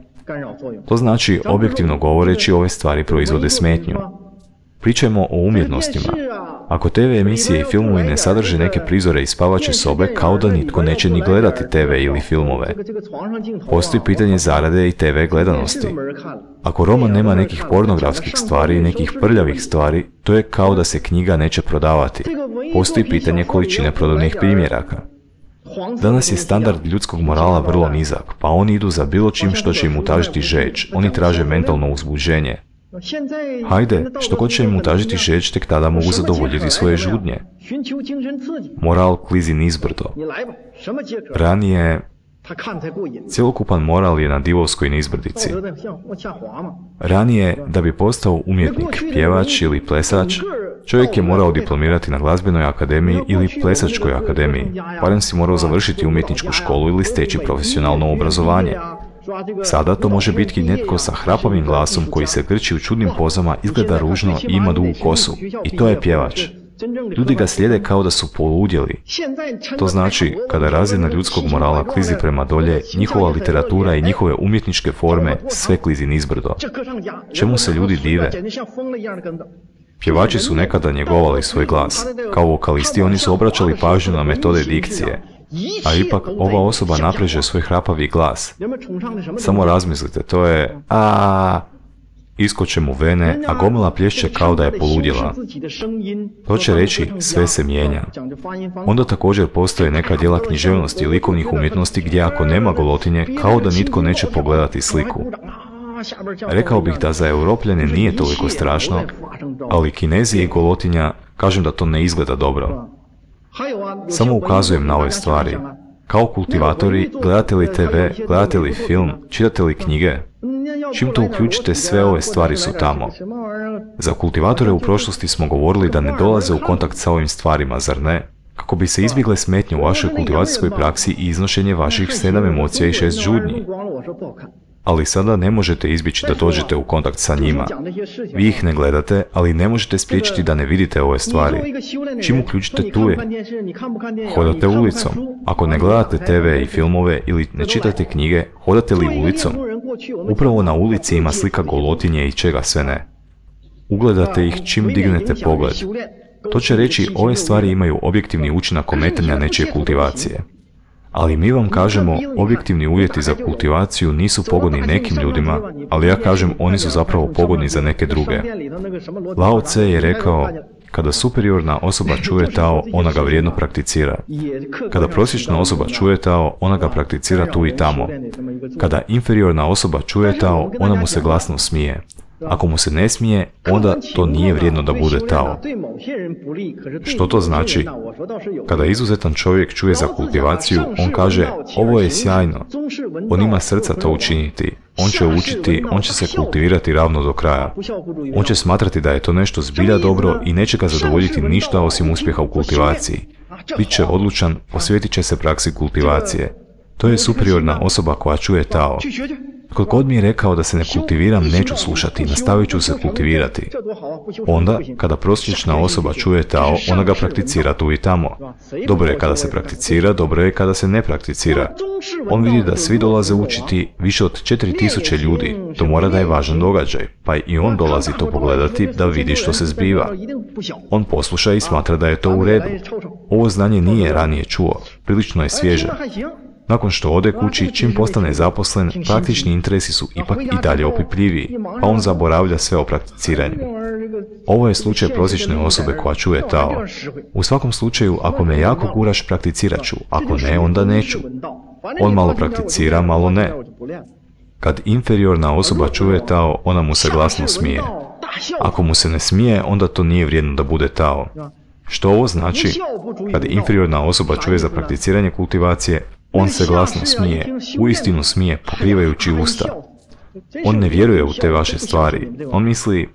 To znači, objektivno govoreći, ove stvari proizvode smetnju. Pričajmo o umjetnostima. Ako TV emisije i filmovi ne sadrže neke prizore iz spavaće sobe, kao da nitko neće ni gledati TV ili filmove. Postoji pitanje zarade i TV gledanosti. Ako roman nema nekih pornografskih stvari, nekih prljavih stvari, to je kao da se knjiga neće prodavati. Postoji pitanje količine prodajnih primjeraka. Danas je standard ljudskog morala vrlo nizak, pa oni idu za bilo čim što će im utažiti žeđ. Oni traže mentalno uzbuđenje. Hajde, što god će im utažiti žeđ, tek tada mogu zadovoljiti svoje žudnje. Moral klizi nizbrdo. Ranije, cjelokupan moral je na divovskoj nizbrdici. Ranije, da bi postao umjetnik, pjevač ili plesač, čovjek je morao diplomirati na glazbenoj akademiji ili plesačkoj akademiji, barem si morao završiti umjetničku školu ili steći profesionalno obrazovanje. Sada to može biti netko sa hrapavim glasom koji se grči u čudnim pozama, izgleda ružno i ima dugu kosu. I to je pjevač. Ljudi ga slijede kao da su poludjeli. To znači, kada razina ljudskog morala klizi prema dolje, njihova literatura i njihove umjetničke forme sve klizi nizbrdo. Čemu se ljudi dive? Pjevači su nekada njegovali svoj glas. Kao vokalisti oni su obraćali pažnju na metode dikcije. A ipak ova osoba napreže svoj hrapavi glas. Samo razmislite, to je iskoče mu vene, a gomila plješće kao da je poludjela. To će reći, sve se mijenja. Onda također postoje neka djela književnosti i likovnih umjetnosti gdje ako nema golotinje, kao da nitko neće pogledati sliku. Rekao bih da za Europljane nije toliko strašno, ali Kinezi i golotinja, kažem da to ne izgleda dobro. Samo ukazujem na ove stvari. Kao kultivatori, gledate li TV, gledate li film, čitate li knjige? Čim to uključite, sve ove stvari su tamo. Za kultivatore u prošlosti smo govorili da ne dolaze u kontakt sa ovim stvarima, zar ne? Kako bi se izbjegle smetnje u vašoj kultivacijskoj praksi i iznošenje vaših 7 emocija i 6 žudnji. Ali sada ne možete izbjeći da dođete u kontakt sa njima. Vi ih ne gledate, ali ne možete spriječiti da ne vidite ove stvari. Čim uključite tu je? Hodate ulicom. Ako ne gledate TV i filmove ili ne čitate knjige, hodate li ulicom? Upravo na ulici ima slika golotinje i čega sve ne. Ugledate ih čim dignete pogled. To će reći, ove stvari imaju objektivni učinak ometanja nečije kultivacije. Ali mi vam kažemo, objektivni uvjeti za kultivaciju nisu pogodni nekim ljudima, ali ja kažem, oni su zapravo pogodni za neke druge. Lao Tse je rekao, kada superiorna osoba čuje Tao, ona ga vrijedno prakticira. Kada prosječna osoba čuje Tao, ona ga prakticira tu i tamo. Kada inferiorna osoba čuje Tao, ona mu se glasno smije. Ako mu se ne smije, onda to nije vrijedno da bude Tao. Što to znači? Kada izuzetan čovjek čuje za kultivaciju, on kaže, ovo je sjajno. On ima srca to učiniti. On će učiti, on će se kultivirati ravno do kraja. On će smatrati da je to nešto zbilja dobro i neće ga zadovoljiti ništa osim uspjeha u kultivaciji. Biće odlučan, posvetit će se praksi kultivacije. To je superiorna osoba koja čuje Tao. Tko god mi je rekao da se ne kultiviram, neću slušati, nastavit ću se kultivirati. Onda, kada prosječna osoba čuje Tao, ona ga prakticira tu i tamo. Dobro je kada se prakticira, dobro je kada se ne prakticira. On vidi da svi dolaze učiti, više od 4000 ljudi. To mora da je važan događaj, pa i on dolazi to pogledati da vidi što se zbiva. On posluša i smatra da je to u redu. Ovo znanje nije ranije čuo, prilično je svježe. Nakon što ode kući, čim postane zaposlen, praktični interesi su ipak i dalje opipljiviji, pa on zaboravlja sve o prakticiranju. Ovo je slučaj prosječne osobe koja čuje Tao. U svakom slučaju, ako me jako guraš, prakticirat ću, ako ne, onda neću. On malo prakticira, malo ne. Kad inferiorna osoba čuje Tao, ona mu se glasno smije. Ako mu se ne smije, onda to nije vrijedno da bude Tao. Što ovo znači? Kad inferiorna osoba čuje za prakticiranje kultivacije, on se glasno smije, uistinu smije, pokrivajući usta. On ne vjeruje u te vaše stvari. On misli,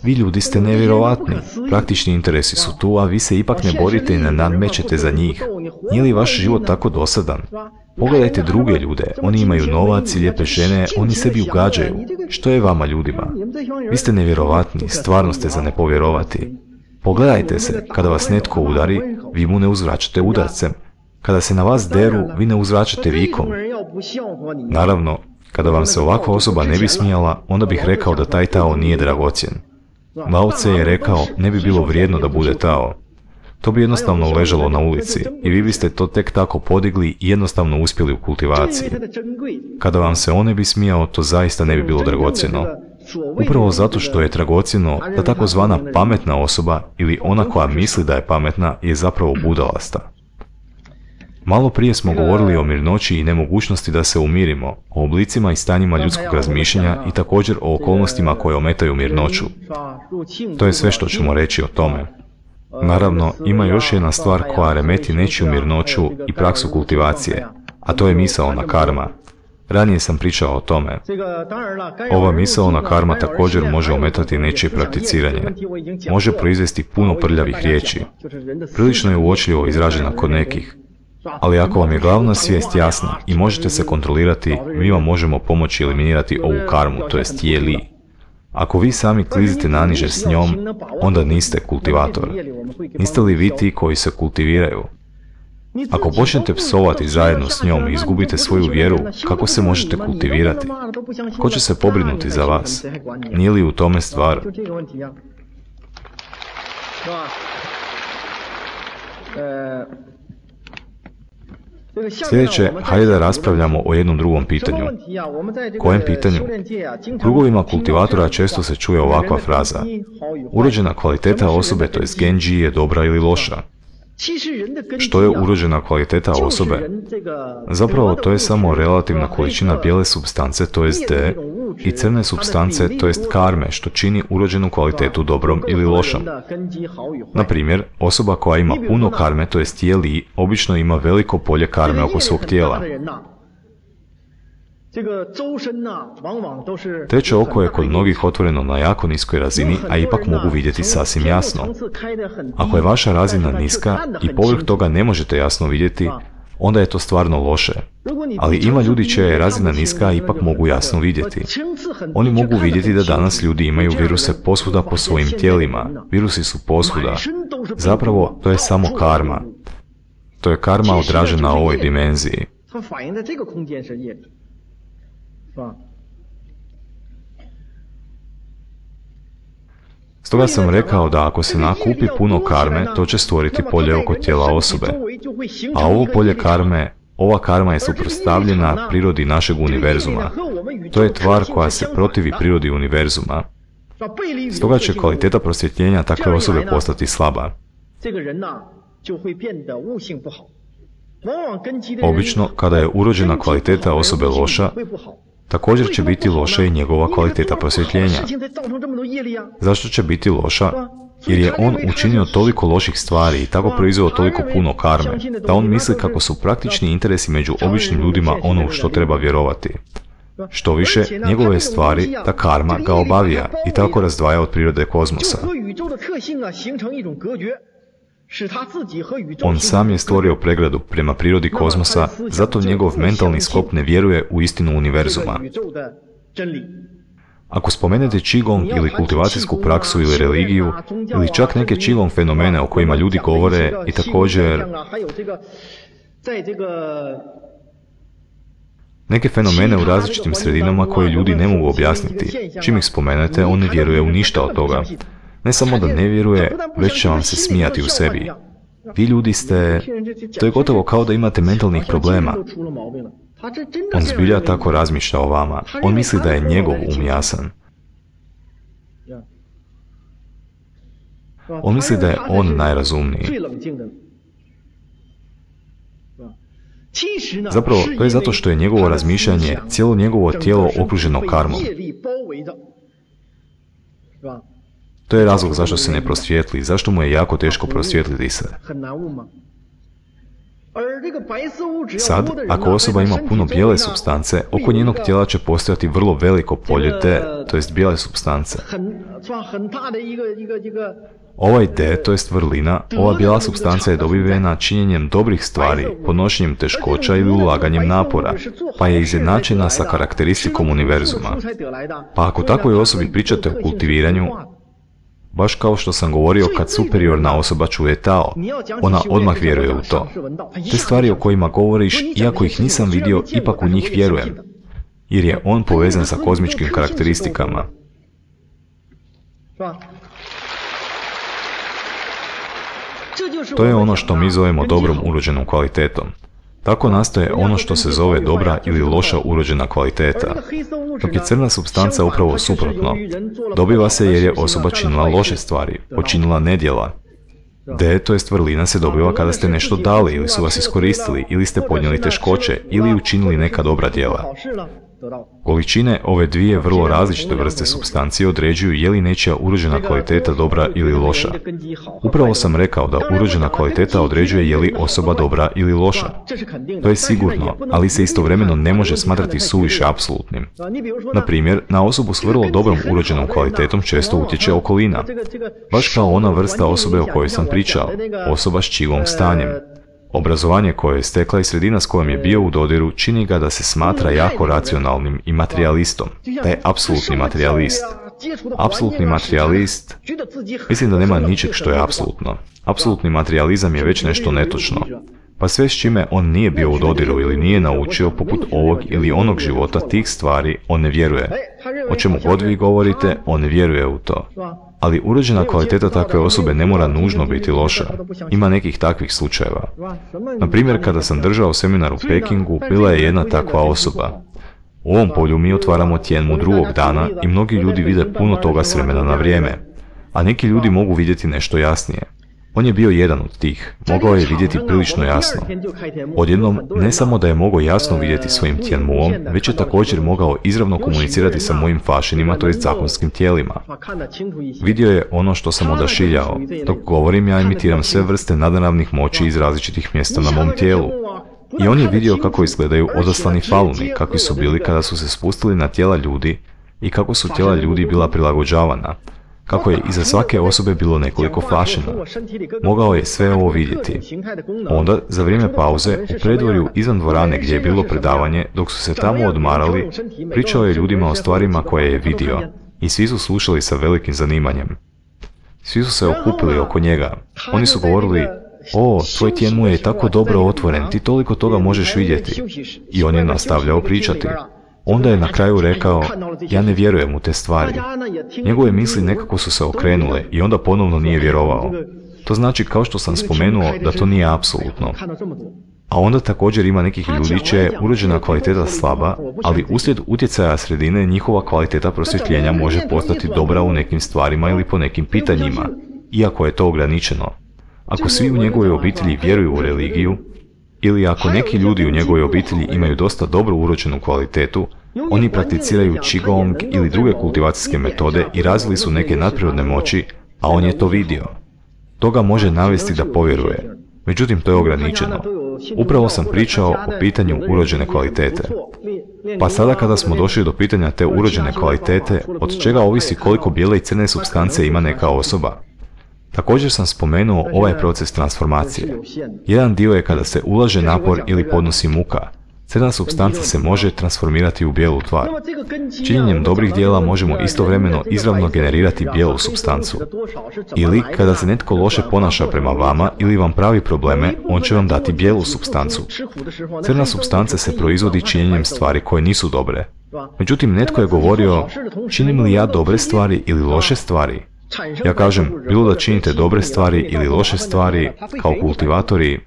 vi ljudi ste nevjerovatni, praktični interesi su tu, a vi se ipak ne borite i ne nadmećete za njih. Nije li vaš život tako dosadan? Pogledajte druge ljude, oni imaju novac i lijepe žene, oni sebi ugađaju. Što je vama ljudima? Vi ste nevjerovatni, stvarno ste za ne povjerovati. Pogledajte se, kada vas netko udari, vi mu ne uzvraćate udarcem. Kada se na vas deru, vi ne uzvraćate vikom. Naravno, kada vam se ovakva osoba ne bi smijala, onda bih rekao da taj Tao nije dragocjen. Lao Tse je rekao, ne bi bilo vrijedno da bude Tao. To bi jednostavno ležalo na ulici i vi biste to tek tako podigli i jednostavno uspjeli u kultivaciji. Kada vam se on ne bi smijao, to zaista ne bi bilo dragocjeno. Upravo zato što je dragocjeno da takozvana pametna osoba ili ona koja misli da je pametna je zapravo budalasta. Malo prije smo govorili o mirnoći i nemogućnosti da se umirimo, o oblicima i stanjima ljudskog razmišljanja i također o okolnostima koje ometaju mirnoću. To je sve što ćemo reći o tome. Naravno, ima još jedna stvar koja remeti nečiju mirnoću i praksu kultivacije, a to je misaona karma. Ranije sam pričao o tome. Ova misaona karma također može ometati nečije prakticiranje. Može proizvesti puno prljavih riječi. Prilično je uočljivo izražena kod nekih. Ali ako vam je glavna svijest jasna i možete se kontrolirati, mi vam možemo pomoći eliminirati ovu karmu, to jest je li. Ako vi sami klizite naniže s njom, onda niste kultivator. Niste li vi ti koji se kultiviraju? Ako počnete psovati zajedno s njom i izgubite svoju vjeru, kako se možete kultivirati? Ko će se pobrinuti za vas? Nije li u tome stvar? Sljedeće, hajde da raspravljamo o jednom drugom pitanju. Kojem pitanju? U krugovima kultivatora često se čuje ovakva fraza. Urođena kvaliteta osobe, to jest genji, je dobra ili loša. Što je urođena kvaliteta osobe? Zapravo to je samo relativna količina bijele supstance, to jest D, i crne supstance, to jest karme, što čini urođenu kvalitetu dobrom ili lošom. Na primjer, osoba koja ima puno karme, to jest je li, obično ima veliko polje karme oko svog tijela. Treće oko je kod mnogih otvoreno na jako niskoj razini, a ipak mogu vidjeti sasvim jasno. Ako je vaša razina niska i povrh toga ne možete jasno vidjeti, onda je to stvarno loše. Ali ima ljudi čija je razina niska, a ipak mogu jasno vidjeti. Oni mogu vidjeti da danas ljudi imaju viruse posvuda po svojim tijelima. Virusi su posvuda. Zapravo, to je samo karma. To je karma odražena na ovoj dimenziji. Stoga sam rekao da ako se nakupi puno karme, to će stvoriti polje oko tijela osobe. A ovo polje karme, ova karma je suprotstavljena prirodi našeg univerzuma. To je tvar koja se protivi prirodi univerzuma. Stoga će kvaliteta prosvjetljenja takve osobe postati slaba. Obično, kada je urođena kvaliteta osobe loša, također će biti loša i njegova kvaliteta prosvjetljenja. Zašto će biti loša? Jer je on učinio toliko loših stvari i tako proizveo toliko puno karme, da on misli kako su praktični interesi među običnim ljudima ono u što treba vjerovati. Što više, njegove stvari, ta karma, ga obavija i tako razdvaja od prirode kozmosa. On sam je stvorio pregradu prema prirodi kozmosa, zato njegov mentalni sklop ne vjeruje u istinu univerzuma. Ako spomenete Qigong ili kultivacijsku praksu ili religiju, ili čak neke Qigong fenomene o kojima ljudi govore i također neke fenomene u različitim sredinama koje ljudi ne mogu objasniti, čim ih spomenete, on ne vjeruje u ništa od toga. Ne samo da ne vjeruje, već će vam se smijati u sebi. Vi ljudi ste... To je gotovo kao da imate mentalnih problema. On zbilja tako razmišlja o vama. On misli da je njegov um jasan. On misli da je on najrazumniji. Zapravo, to je zato što je njegovo razmišljanje, cijelo njegovo tijelo okruženo karmom. To je razlog zašto se ne prosvjetli, zašto mu je jako teško prosvjetliti se. Sad, ako osoba ima puno bijele supstance, oko njenog tijela će postojati vrlo veliko polje D, to jest bijele supstance. Ovaj D, to jest vrlina, ova bijela supstanca je dobivena činjenjem dobrih stvari, podnošenjem teškoća ili ulaganjem napora, pa je izjednačena sa karakteristikom univerzuma. Pa ako takvoj osobi pričate o kultiviranju, baš kao što sam govorio kad superiorna osoba čuje Tao, ona odmah vjeruje u to. Te stvari o kojima govoriš, iako ih nisam vidio, ipak u njih vjerujem, jer je on povezan sa kozmičkim karakteristikama. To je ono što mi zovemo dobrom urođenom kvalitetom. Tako nastaje ono što se zove dobra ili loša urođena kvaliteta. Dok je crna supstanca upravo suprotno. Dobiva se jer je osoba činila loše stvari, počinila nedjela. D, to jest vrlina, se dobiva kada ste nešto dali ili su vas iskoristili ili ste podnijeli teškoće ili učinili neka dobra djela. Količine ove dvije vrlo različite vrste supstancije određuju je li nečija urođena kvaliteta dobra ili loša. Upravo sam rekao da urođena kvaliteta određuje je li osoba dobra ili loša. To je sigurno, ali se istovremeno ne može smatrati suviše apsolutnim. Na primjer, na osobu s vrlo dobrom urođenom kvalitetom često utječe okolina. Baš kao ona vrsta osobe o kojoj sam pričao, osoba s čigom stanjem. Obrazovanje koje je stekla i sredina s kojom je bio u dodiru čini ga da se smatra jako racionalnim i materialistom. Da je apsolutni materijalist. Apsolutni materijalist, mislim da nema ničeg što je apsolutno. Apsolutni materijalizam je već nešto netočno. Pa sve s čime on nije bio u dodiru ili nije naučio poput ovog ili onog života tih stvari, on ne vjeruje. O čemu god vi govorite, on ne vjeruje u to. Ali urođena kvaliteta takve osobe ne mora nužno biti loša. Ima nekih takvih slučajeva. Na primjer, kada sam držao seminar u Pekingu, bila je jedna takva osoba. U ovom polju mi otvaramo Tianmu drugog dana i mnogi ljudi vide puno toga s vremena na vrijeme, a neki ljudi mogu vidjeti nešto jasnije. On je bio jedan od tih, mogao je vidjeti prilično jasno. Odjednom, ne samo da je mogao jasno vidjeti svojim Tianmuom, već je također mogao izravno komunicirati sa mojim fašinima, to jest zakonskim tijelima. Vidio je ono što sam odašiljao. Dok govorim, ja imitiram sve vrste nadnaravnih moći iz različitih mjesta na mom tijelu. I on je vidio kako izgledaju odaslani faluni, kakvi su bili kada su se spustili na tijela ljudi i kako su tijela ljudi bila prilagođavana. Kako je iza svake osobe bilo nekoliko fašina. Mogao je sve ovo vidjeti. Onda, za vrijeme pauze, u predvorju izvan dvorane gdje je bilo predavanje, dok su se tamo odmarali, pričao je ljudima o stvarima koje je vidio i svi su slušali sa velikim zanimanjem. Svi su se okupili oko njega. Oni su govorili: "O, tvoj Tianmu je tako dobro otvoren, ti toliko toga možeš vidjeti." I on je nastavljao pričati. Onda je na kraju rekao: "Ja ne vjerujem u te stvari." Njegove misli nekako su se okrenule i onda ponovno nije vjerovao. To znači, kao što sam spomenuo, da to nije apsolutno. A onda također ima nekih ljudi čija je urođena kvaliteta slaba, ali uslijed utjecaja sredine njihova kvaliteta prosvjetljenja može postati dobra u nekim stvarima ili po nekim pitanjima, iako je to ograničeno. Ako svi u njegovoj obitelji vjeruju u religiju, ili ako neki ljudi u njegovoj obitelji imaju dosta dobro urođenu kvalitetu, oni prakticiraju Qigong ili druge kultivacijske metode i razvili su neke nadprirodne moći, a on je to vidio. To ga može navesti da povjeruje. Međutim, to je ograničeno. Upravo sam pričao o pitanju urođene kvalitete. Pa sada kada smo došli do pitanja te urođene kvalitete, od čega ovisi koliko bijele i crne supstance ima neka osoba? Također sam spomenuo ovaj proces transformacije. Jedan dio je kada se ulaže napor ili podnosi muka. Crna supstanca se može transformirati u bijelu tvar. Činjenjem dobrih djela možemo istovremeno izravno generirati bijelu supstancu. Ili, kada se netko loše ponaša prema vama ili vam pravi probleme, on će vam dati bijelu supstancu. Crna supstanca se proizvodi činjenjem stvari koje nisu dobre. Međutim, netko je govorio: "Činim li ja dobre stvari ili loše stvari?" Ja kažem, bilo da činite dobre stvari ili loše stvari, kao kultivatori,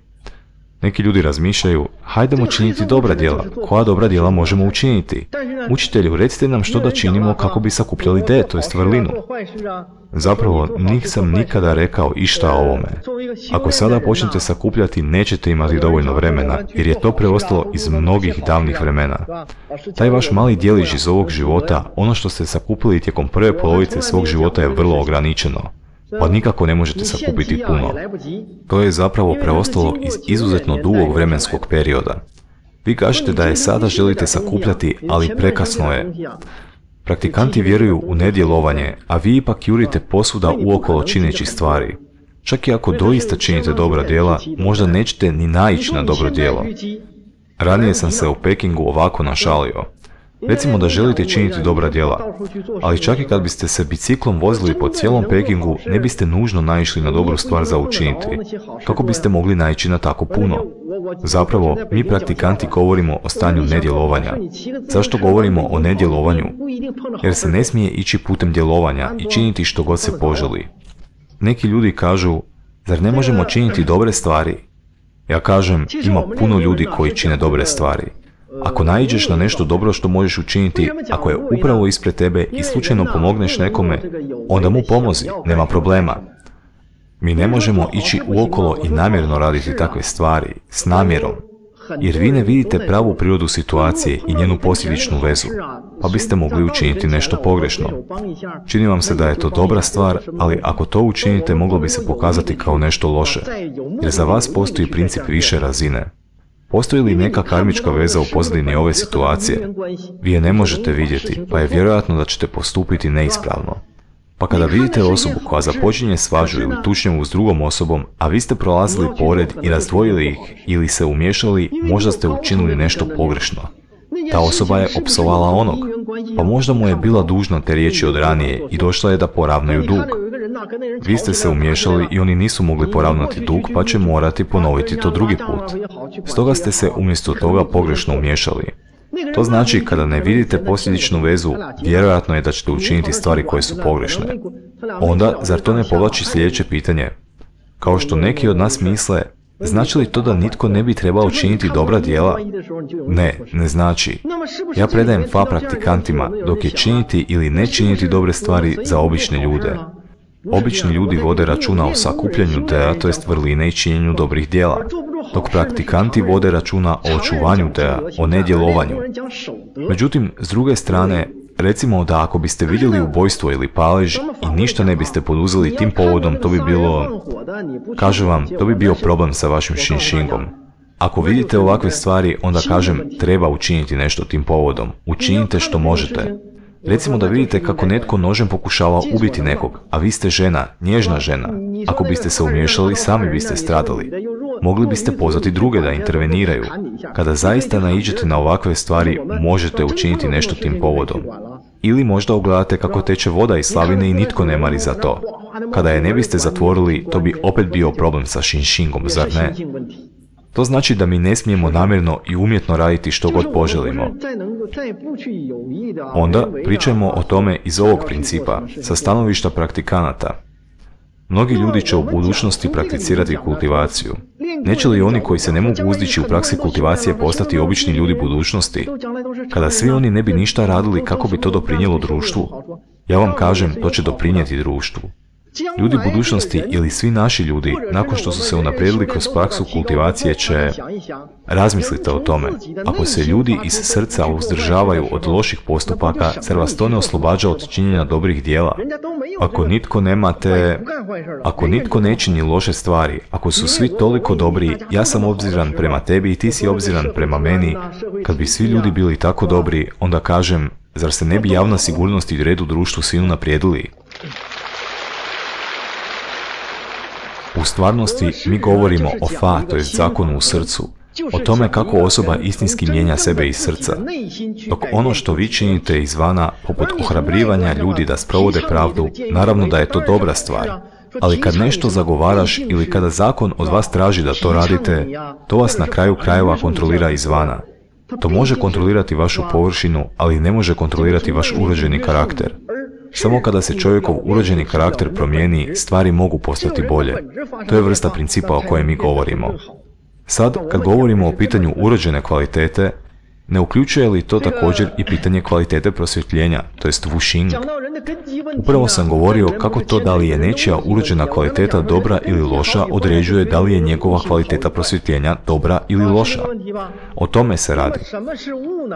neki ljudi razmišljaju: "Hajdemo činiti dobra djela, koja dobra djela možemo učiniti? Učitelju, recite nam što da činimo kako bi sakupljali D, to jest vrlinu." Zapravo, nisam nikada rekao išta o ovome. Ako sada počnete sakupljati, nećete imati dovoljno vremena, jer je to preostalo iz mnogih davnih vremena. Taj vaš mali djelić iz ovog života, ono što ste sakupili tijekom prve polovice svog života, je vrlo ograničeno. Pa nikako ne možete sakupiti puno. To je zapravo preostalo iz izuzetno dugog vremenskog perioda. Vi kažete da je sada želite sakupljati, ali prekasno je. Praktikanti vjeruju u nedjelovanje, a vi ipak jurite posvuda uokolo čineći stvari. Čak i ako doista činite dobra djela, možda nećete ni naići na dobro djelo. Ranije sam se u Pekingu ovako našalio. Recimo da želite činiti dobra djela, ali čak i kad biste se biciklom vozili po cijelom Pekingu, ne biste nužno naišli na dobru stvar za učiniti. Kako biste mogli naići na tako puno? Zapravo, mi praktikanti govorimo o stanju nedjelovanja. Zašto govorimo o nedjelovanju? Jer se ne smije ići putem djelovanja i činiti što god se poželi. Neki ljudi kažu: "Zar ne možemo činiti dobre stvari?" Ja kažem, ima puno ljudi koji čine dobre stvari. Ako naiđeš na nešto dobro što možeš učiniti, ako je upravo ispred tebe i slučajno pomogneš nekome, onda mu pomozi, nema problema. Mi ne možemo ići uokolo i namjerno raditi takve stvari, s namjerom, jer vi ne vidite pravu prirodu situacije i njenu posljedičnu vezu, pa biste mogli učiniti nešto pogrešno. Čini vam se da je to dobra stvar, ali ako to učinite moglo bi se pokazati kao nešto loše, jer za vas postoji princip više razine. Postoji li neka karmička veza u pozadini ove situacije? Vi je ne možete vidjeti, pa je vjerojatno da ćete postupiti neispravno. Pa kada vidite osobu koja započinje svađu ili tučnjavu s drugom osobom, a vi ste prolazili pored i razdvojili ih ili se umiješali, možda ste učinili nešto pogrešno. Ta osoba je opsovala onog, pa možda mu je bila dužna te riječi od ranije i došla je da poravnaju dug. Vi ste se umiješali i oni nisu mogli poravnati dug, pa će morati ponoviti to drugi put. Stoga ste se umjesto toga pogrešno umiješali. To znači, kada ne vidite posljedičnu vezu, vjerojatno je da ćete učiniti stvari koje su pogrešne. Onda, zar to ne povlači sljedeće pitanje? Kao što neki od nas misle, znači li to da nitko ne bi trebao činiti dobra djela? Ne, ne znači. Ja predajem FA praktikantima dok je činiti ili ne činiti dobre stvari za obične ljude. Obični ljudi vode računa o sakupljanju dea, to jest vrline i činjenju dobrih djela, dok praktikanti vode računa o očuvanju dea, o nedjelovanju. Međutim, s druge strane, recimo da ako biste vidjeli ubojstvo ili palež i ništa ne biste poduzeli tim povodom, to bi bilo, kažem vam, to bi bio problem sa vašim Shinshingom. Ako vidite ovakve stvari, onda kažem, treba učiniti nešto tim povodom. Učinite što možete. Recimo da vidite kako netko nožem pokušava ubiti nekog, a vi ste žena, nježna žena. Ako biste se umiješali, sami biste stradali. Mogli biste pozvati druge da interveniraju. Kada zaista naiđete na ovakve stvari, možete učiniti nešto tim povodom. Ili možda ogledate kako teče voda iz slavine i nitko ne mari za to. Kada je ne biste zatvorili, to bi opet bio problem sa Shinshingom, zar ne? To znači da mi ne smijemo namjerno i umjetno raditi što god poželimo. Onda pričajmo o tome iz ovog principa, sa stanovišta praktikanata. Mnogi ljudi će u budućnosti prakticirati kultivaciju. Neće li oni koji se ne mogu uzdići u praksi kultivacije postati obični ljudi budućnosti? Kada svi oni ne bi ništa radili, kako bi to doprinijelo društvu? Ja vam kažem, to će doprinijeti društvu. Ljudi budućnosti ili svi naši ljudi, nakon što su se unaprijedili kroz praksu kultivacije, će... Razmislite o tome. Ako se ljudi iz srca uzdržavaju od loših postupaka, zar vas to ne oslobađa od činjenja dobrih djela? Ako nitko ne čini loše stvari, ako su svi toliko dobri, ja sam obziran prema tebi i ti si obziran prema meni, kad bi svi ljudi bili tako dobri, onda kažem, zar se ne bi javna sigurnost i red u društvu svi unaprijedili? U stvarnosti mi govorimo o FA, to je zakonu u srcu, o tome kako osoba istinski mijenja sebe iz srca. Dok ono što vi činite izvana, poput ohrabrivanja ljudi da sprovode pravdu, naravno da je to dobra stvar. Ali kad nešto zagovaraš ili kada zakon od vas traži da to radite, to vas na kraju krajeva kontrolira izvana. To može kontrolirati vašu površinu, ali ne može kontrolirati vaš urođeni karakter. Samo kada se čovjekov urođeni karakter promijeni, stvari mogu postati bolje. To je vrsta principa o kojem mi govorimo. Sad, kad govorimo o pitanju urođene kvalitete, ne uključuje li to također i pitanje kvalitete prosvjetljenja, to jest Wuxing? Upravo sam govorio kako to da li je nečija urođena kvaliteta dobra ili loša određuje da li je njegova kvaliteta prosvjetljenja dobra ili loša. O tome se radi.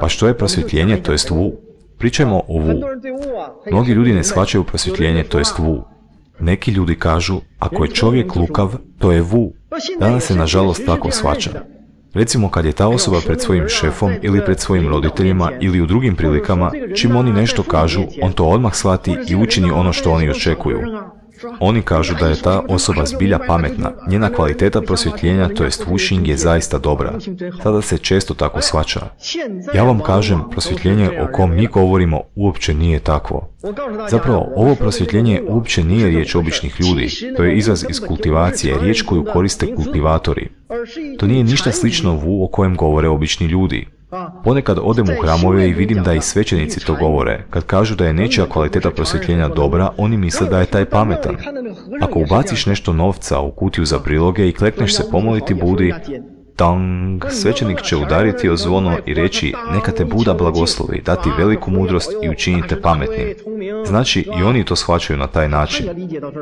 Pa što je prosvjetljenje, to jest Wu? Pričajmo o Wu. Mnogi ljudi ne shvaćaju prosvjetljenje, to jest Wu. Neki ljudi kažu, ako je čovjek lukav, to je Wu. Danas se nažalost tako shvaća. Recimo kad je ta osoba pred svojim šefom ili pred svojim roditeljima ili u drugim prilikama, čim oni nešto kažu, on to odmah shvati i učini ono što oni očekuju. Oni kažu da je ta osoba zbilja pametna, njena kvaliteta prosvjetljenja, to jest Wuxing, je zaista dobra. Sada se često tako shvaća. Ja vam kažem, prosvjetljenje o kom mi govorimo uopće nije takvo. Zapravo, ovo prosvjetljenje uopće nije riječ običnih ljudi, to je izraz iz kultivacije, riječ koju koriste kultivatori. To nije ništa slično Wu o kojem govore obični ljudi. Ponekad odem u hramove i vidim da i svećenici to govore. Kad kažu da je nečija kvaliteta prosvjetljenja dobra, oni misle da je taj pametan. Ako ubaciš nešto novca u kutiju za priloge i klekneš se pomoliti Budi, Tang, svećenik će udariti o zvono i reći neka te Buda blagoslovi, dati veliku mudrost i učinite pametnim. Znači i oni to shvaćaju na taj način.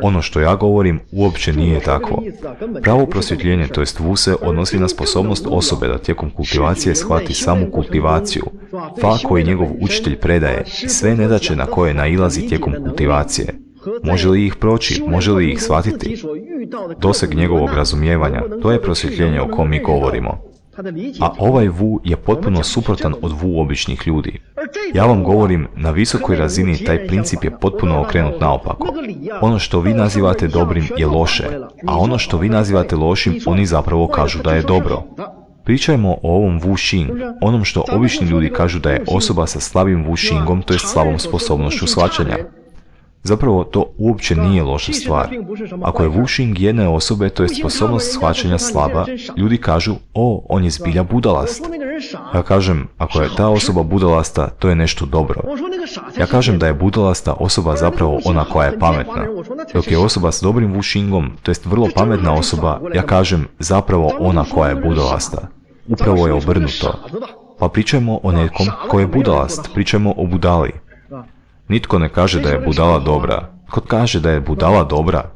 Ono što ja govorim uopće nije takvo. Pravo prosvjetljenje, to jest Wu, se odnosi na sposobnost osobe da tijekom kultivacije shvati samu kultivaciju, fa koji njegov učitelj predaje, sve nedaće na koje nailazi tijekom kultivacije. Može li ih proći, može li ih shvatiti? Doseg njegovog razumijevanja, to je prosvjetljenje o kom mi govorimo. A ovaj Wu je potpuno suprotan od Wu običnih ljudi. Ja vam govorim, na visokoj razini taj princip je potpuno okrenut naopako. Ono što vi nazivate dobrim je loše, a ono što vi nazivate lošim, oni zapravo kažu da je dobro. Pričajmo o ovom Wu Xing, onom što obični ljudi kažu da je osoba sa slabim Wu Xingom, to je slabom sposobnošću shvaćanja. Zapravo to uopće nije loša stvar. Ako je Wu Xing jedne osobe, to je sposobnost shvaćanja slaba, ljudi kažu, on je zbilja budalast. Ja kažem, ako je ta osoba budalasta, to je nešto dobro. Ja kažem da je budalasta osoba zapravo ona koja je pametna. Dok je osoba s dobrim Wu Xingom, to jest vrlo pametna osoba, ja kažem zapravo ona koja je budalasta. Upravo je obrnuto. Pa pričajmo o nekom ko je budalast, pričajmo o budali. Nitko ne kaže da je budala dobra. Tko kaže da je budala dobra?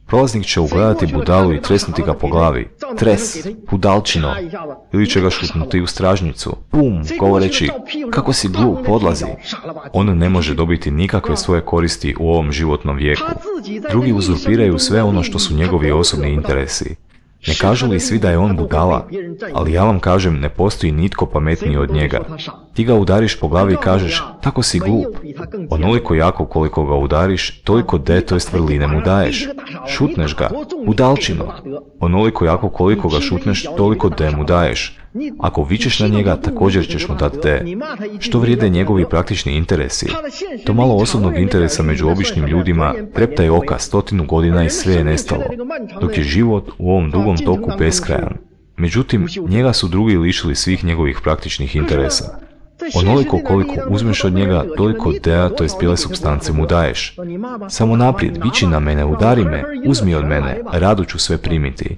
Prolaznik će ugledati budalu i tresnuti ga po glavi. Tres, budalčino. Ili će ga šutnuti u stražnjicu. Pum, govoreći, kako si glup, odlazi. On ne može dobiti nikakve svoje koristi u ovom životnom vijeku. Drugi uzurpiraju sve ono što su njegovi osobni interesi. Ne kažu li svi da je on budala? Ali ja vam kažem, ne postoji nitko pametniji od njega. Ti ga udariš po glavi i kažeš, tako si glup. Onoliko jako koliko ga udariš, toliko to jest vrline mu daješ. Šutneš ga, budalčino. Onoliko jako koliko ga šutneš, toliko mu daješ. Ako vičeš na njega, također ćeš mu dati Što vrijede njegovi praktični interesi? To malo osobnog interesa među običnim ljudima treptaj oka 100 godina i sve je nestalo, dok je život u ovom dugom toku beskrajan. Međutim, njega su drugi lišili svih njegovih praktičnih interesa. Onoliko koliko uzmeš od njega, toliko to jest bijele supstance mu daješ. Samo naprijed, viči na mene, udari me, uzmi od mene, rado ću sve primiti.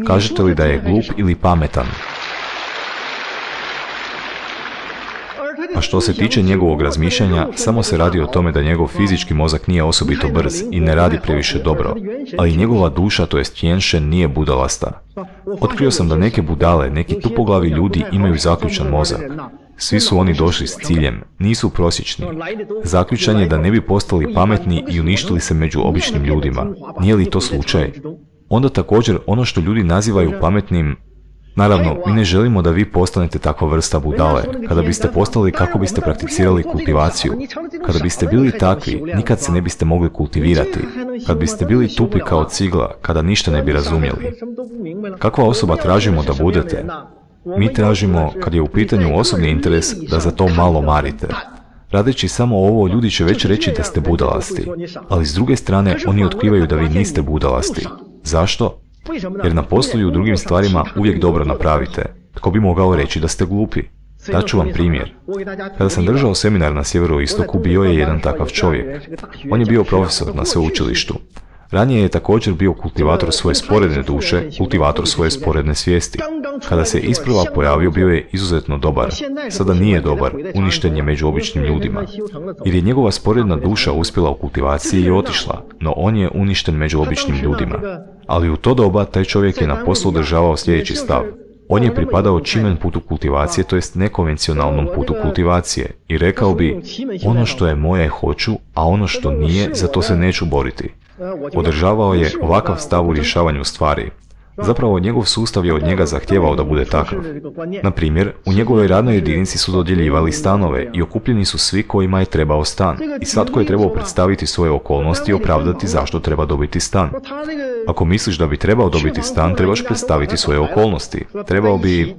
Kažete li da je glup ili pametan? A što se tiče njegovog razmišljanja, samo se radi o tome da njegov fizički mozak nije osobito brz i ne radi previše dobro, ali njegova duša, to jest Tianchen, nije budalasta. Otkrio sam da neke budale, neki tupoglavi ljudi imaju zaključan mozak. Svi su oni došli s ciljem, nisu prosječni. Zaključan je da ne bi postali pametni i uništili se među običnim ljudima. Nije li to slučaj? Onda također ono što ljudi nazivaju pametnim. Naravno, mi ne želimo da vi postanete takva vrsta budale. Kada biste postali, kako biste prakticirali kultivaciju? Kada biste bili takvi, nikad se ne biste mogli kultivirati. Kad biste bili tupi kao cigla, kada ništa ne bi razumjeli. Kakva osoba tražimo da budete? Mi tražimo, kad je u pitanju osobni interes, da za to malo marite. Radeći samo ovo, ljudi će već reći da ste budalasti. Ali s druge strane, oni otkrivaju da vi niste budalasti. Zašto? Jer na poslu i u drugim stvarima uvijek dobro napravite. Tko bi mogao reći da ste glupi? Daću vam primjer. Kada sam držao seminar na sjeveroistoku, bio je jedan takav čovjek. On je bio profesor na sveučilištu. Ranije je također bio kultivator svoje sporedne duše, kultivator svoje sporedne svijesti. Kada se isprva pojavio, bio je izuzetno dobar. Sada nije dobar, uništen je među običnim ljudima. Jer je njegova sporedna duša uspjela u kultivaciji i otišla, no on je uništen među običnim ljudima. Ali u to doba taj čovjek je na poslu održavao sljedeći stav. On je pripadao čimen putu kultivacije, to jest nekonvencionalnom putu kultivacije, i rekao bi, ono što je moje hoću, a ono što nije, za to se neću boriti. Održavao je ovakav stav u rješavanju stvari. Zapravo, njegov sustav je od njega zahtijevao da bude takav. Na primjer, u njegovoj radnoj jedinici su dodjeljivali stanove i okupljeni su svi kojima je trebao stan. I svatko je trebao predstaviti svoje okolnosti i opravdati zašto treba dobiti stan. Ako misliš da bi trebao dobiti stan, trebaš predstaviti svoje okolnosti. Trebao bi...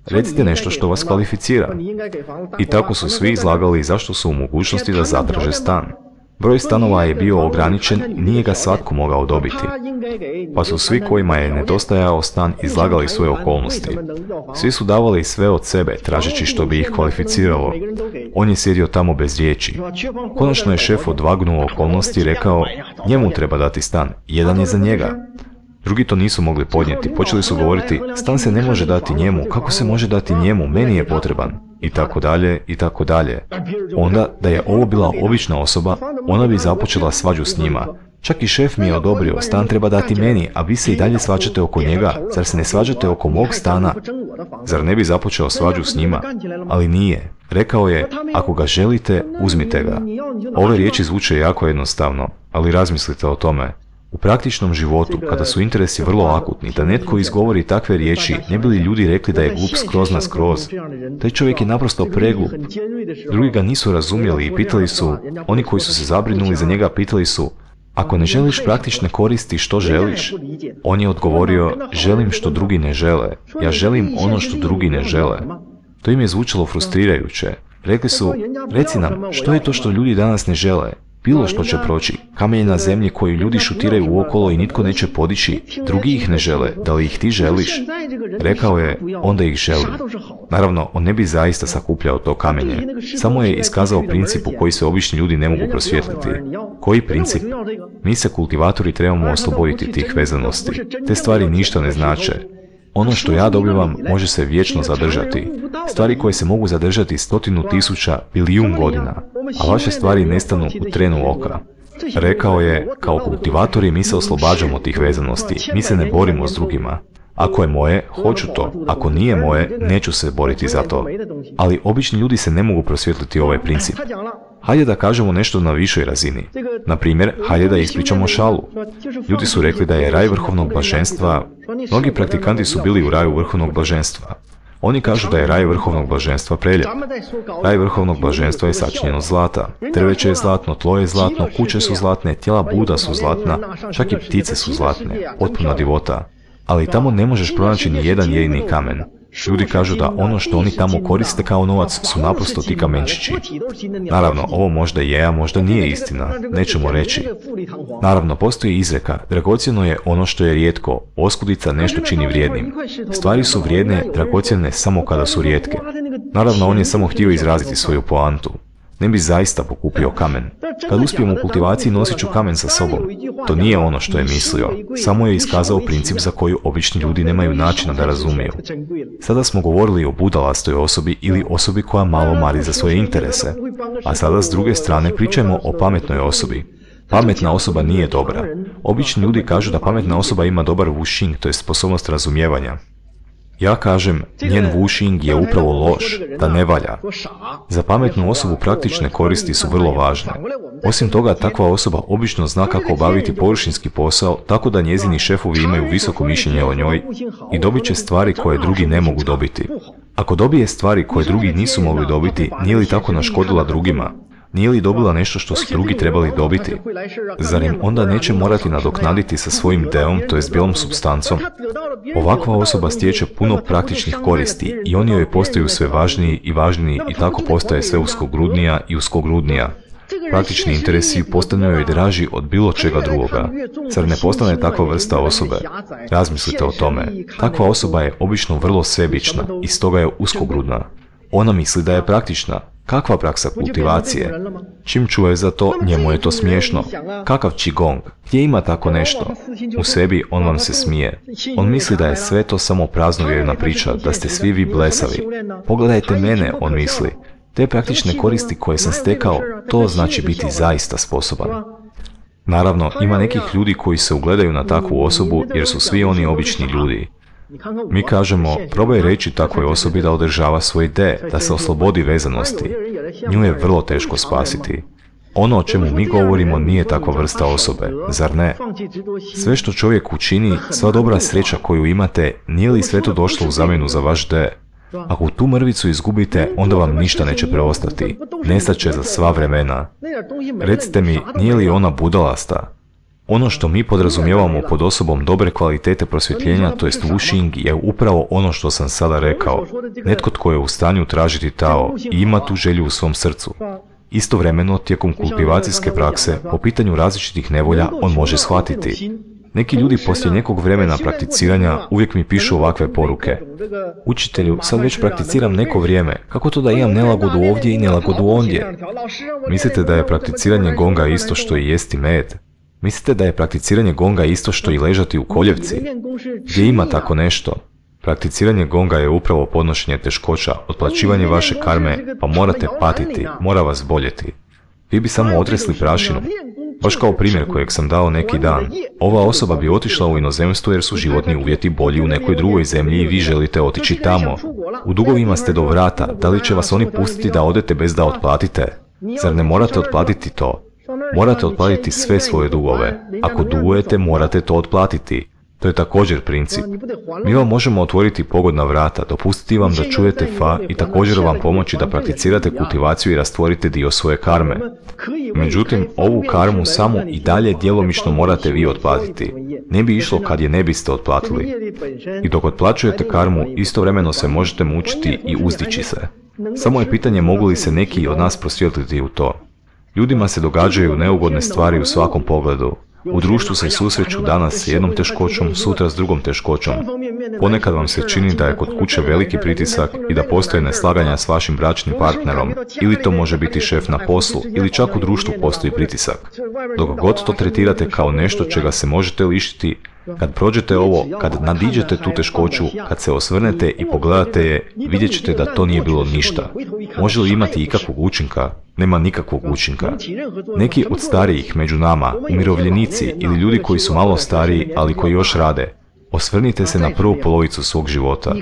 Recite nešto što vas kvalificira. I tako su svi izlagali zašto su u mogućnosti da zatraže stan. Broj stanova je bio ograničen i nije ga svatko mogao dobiti. Pa su svi kojima je nedostajao stan izlagali svoje okolnosti. Svi su davali sve od sebe, tražeći što bi ih kvalificiralo. On je sjedio tamo bez riječi. Konačno je šef odvagnuo okolnosti i rekao, njemu treba dati stan, jedan je za njega. Drugi to nisu mogli podnijeti, počeli su govoriti, stan se ne može dati njemu, kako se može dati njemu, meni je potreban, i tako dalje, i tako dalje. Onda, da je ovo bila obična osoba, ona bi započela svađu s njima. Čak i šef mi je odobrio, stan treba dati meni, a vi se i dalje svađate oko njega, zar se ne svađate oko mog stana? Zar ne bi započeo svađu s njima? Ali nije. Rekao je, ako ga želite, uzmite ga. Ove riječi zvuče jako jednostavno, ali razmislite o tome. U praktičnom životu, kada su interesi vrlo akutni, da netko izgovori takve riječi, ne bi li ljudi rekli da je glup skroz na skroz? Taj čovjek je naprosto preglup. Drugi ga nisu razumjeli i pitali su, oni koji su se zabrinuli za njega pitali su, ako ne želiš praktične koristi, što želiš? On je odgovorio, želim što drugi ne žele. Ja želim ono što drugi ne žele. To im je zvučalo frustrirajuće. Rekli su, reci nam, što je to što ljudi danas ne žele? Bilo što će proći, kamenje na zemlji koju ljudi šutiraju uokolo i nitko neće podići, drugi ih ne žele, da li ih ti želiš? Rekao je, onda ih želim. Naravno, on ne bi zaista sakupljao to kamenje, samo je iskazao princip u koji se obični ljudi ne mogu prosvjetliti. Koji princip? Mi se kultivatori trebamo osloboditi tih vezanosti. Te stvari ništa ne znače. Ono što ja dobivam može se vječno zadržati. Stvari koje se mogu zadržati 100.000, bilijun godina, a vaše stvari nestanu u trenu oka. Rekao je, kao kultivatori mi se oslobađamo tih vezanosti, mi se ne borimo s drugima. Ako je moje, hoću to. Ako nije moje, neću se boriti za to. Ali obični ljudi se ne mogu prosvjetliti ovaj princip. Hajde da kažemo nešto na višoj razini. Na primjer, hajde da ispričamo šalu. Ljudi su rekli da je raj vrhovnog blaženstva. Mnogi praktikanti su bili u raju vrhovnog blaženstva. Oni kažu da je raj vrhovnog blaženstva prelijep. Raj vrhovnog blaženstva je sačinjen od zlata. Drveće je zlatno, tlo je zlatno, kuće su zlatne, tijela Buda su zlatna, čak i ptice su zlatne, potpuna divota. Ali tamo ne možeš pronaći ni jedan jedini kamen. Ljudi kažu da ono što oni tamo koriste kao novac su naprosto ti kamenčići. Naravno, ovo možda je, a možda nije istina, nećemo reći. Naravno, postoji izreka, dragocjeno je ono što je rijetko, oskudica nešto čini vrijednim. Stvari su vrijedne, dragocjene samo kada su rijetke. Naravno, on je samo htio izraziti svoju poantu. Ne bi zaista pokupio kamen. Kad uspijem u kultivaciji, nosit ću kamen sa sobom. To nije ono što je mislio. Samo je iskazao princip za koju obični ljudi nemaju načina da razumiju. Sada smo govorili o budalastoj osobi ili osobi koja malo mari za svoje interese. A sada s druge strane pričajmo o pametnoj osobi. Pametna osoba nije dobra. Obični ljudi kažu da pametna osoba ima dobar wuxing, to je sposobnost razumijevanja. Ja kažem, njen wuxing je upravo loš, da ne valja. Za pametnu osobu praktične koristi su vrlo važne. Osim toga, takva osoba obično zna kako obaviti površinski posao, tako da njezini šefovi imaju visoko mišljenje o njoj i dobit će stvari koje drugi ne mogu dobiti. Ako dobije stvari koje drugi nisu mogli dobiti, nije li tako naškodila drugima? Nije li dobila nešto što su drugi trebali dobiti? Zar im onda neće morati nadoknaditi sa svojim deom, to jest bijelom supstancom? Ovakva osoba stječe puno praktičnih koristi i oni joj postaju sve važniji i važniji i tako postaje sve uskogrudnija i uskogrudnija. Praktični interesi postanu joj draži od bilo čega drugoga. Zar ne postane takva vrsta osobe? Razmislite o tome. Takva osoba je obično vrlo sebična i stoga je uskogrudna. Ona misli da je praktična. Kakva praksa kultivacije? Čim čuje za to, njemu je to smiješno. Kakav qigong? Gdje ima tako nešto? U sebi on vam se smije. On misli da je sve to samo praznovjerna priča, da ste svi vi blesavi. Pogledajte mene, on misli. Te praktične koristi koje sam stekao, to znači biti zaista sposoban. Naravno, ima nekih ljudi koji se ugledaju na takvu osobu jer su svi oni obični ljudi. Mi kažemo, probaj reći takvoj osobi da održava svoj de, da se oslobodi vezanosti. Nju je vrlo teško spasiti. Ono o čemu mi govorimo nije takva vrsta osobe, zar ne? Sve što čovjek učini, sva dobra sreća koju imate, nije li sve to došlo u zamjenu za vaš de? Ako tu mrvicu izgubite, onda vam ništa neće preostati. Nestat će za sva vremena. Recite mi, nije li ona budalasta? Ono što mi podrazumijevamo pod osobom dobre kvalitete prosvjetljenja, to jest wuxing, je upravo ono što sam sada rekao. Netko tko je u stanju tražiti Tao i ima tu želju u svom srcu. Istovremeno, tijekom kultivacijske prakse, po pitanju različitih nevolja, on može shvatiti. Neki ljudi poslije nekog vremena prakticiranja uvijek mi pišu ovakve poruke. Učitelju, sad već prakticiram neko vrijeme, kako to da imam nelagodu ovdje i nelagodu ondje? Mislite da je prakticiranje gonga isto što i jesti med? Mislite da je prakticiranje gonga isto što i ležati u koljevci? Gdje ima tako nešto? Prakticiranje gonga je upravo podnošenje teškoća, otplaćivanje vaše karme, pa morate patiti, mora vas boljeti. Vi bi samo otresli prašinu. Baš kao primjer kojeg sam dao neki dan. Ova osoba bi otišla u inozemstvo jer su životni uvjeti bolji u nekoj drugoj zemlji i vi želite otići tamo. U dugovima ste do vrata, da li će vas oni pustiti da odete bez da otplatite? Zar ne morate otplatiti to? Morate otplatiti sve svoje dugove. Ako dugujete, morate to otplatiti. To je također princip. Mi vam možemo otvoriti pogodna vrata, dopustiti vam da čujete fa i također vam pomoći da prakticirate kultivaciju i rastvorite dio svoje karme. Međutim, ovu karmu samo i dalje djelomično morate vi otplatiti. Ne bi išlo kad je ne biste otplatili. I dok otplaćujete karmu, istovremeno se možete mučiti i uzdići se. Samo je pitanje mogu li se neki od nas prosvjetliti u to. Ljudima se događaju neugodne stvari u svakom pogledu. U društvu se susreću danas s jednom teškoćom, sutra s drugom teškoćom. Ponekad vam se čini da je kod kuće veliki pritisak i da postoje neslaganja s vašim bračnim partnerom, ili to može biti šef na poslu, ili čak u društvu postoji pritisak. Dok god to tretirate kao nešto čega se možete lišiti, kad prođete ovo, kad nadiđete tu teškoću, kad se osvrnete i pogledate je, vidjet ćete da to nije bilo ništa. Može li imati ikakvog učinka? Nema nikakvog učinka. Neki od starijih među nama, umirovljenici ili ljudi koji su malo stariji, ali koji još rade, osvrnite se na prvu polovicu svog života.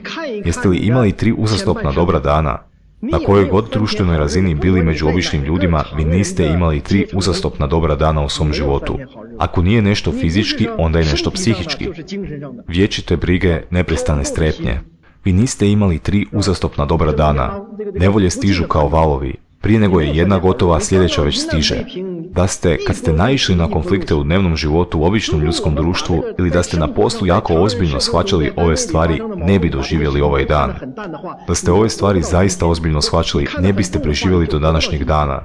Jeste li imali 3 uzastopna dobra dana? Na kojoj god društvenoj razini bili među običnim ljudima, vi niste imali 3 uzastopna dobra dana u svom životu. Ako nije nešto fizički, onda je nešto psihički. Vječite brige, neprestane strepnje. Vi niste imali 3 uzastopna dobra dana. Nevolje stižu kao valovi. Prije nego je jedna gotova, sljedeća već stiže. Kad ste naišli na konflikte u dnevnom životu u običnom ljudskom društvu ili da ste na poslu jako ozbiljno shvaćali ove stvari, ne bi doživjeli ovaj dan. Da ste ove stvari zaista ozbiljno shvaćali, ne biste preživjeli do današnjeg dana.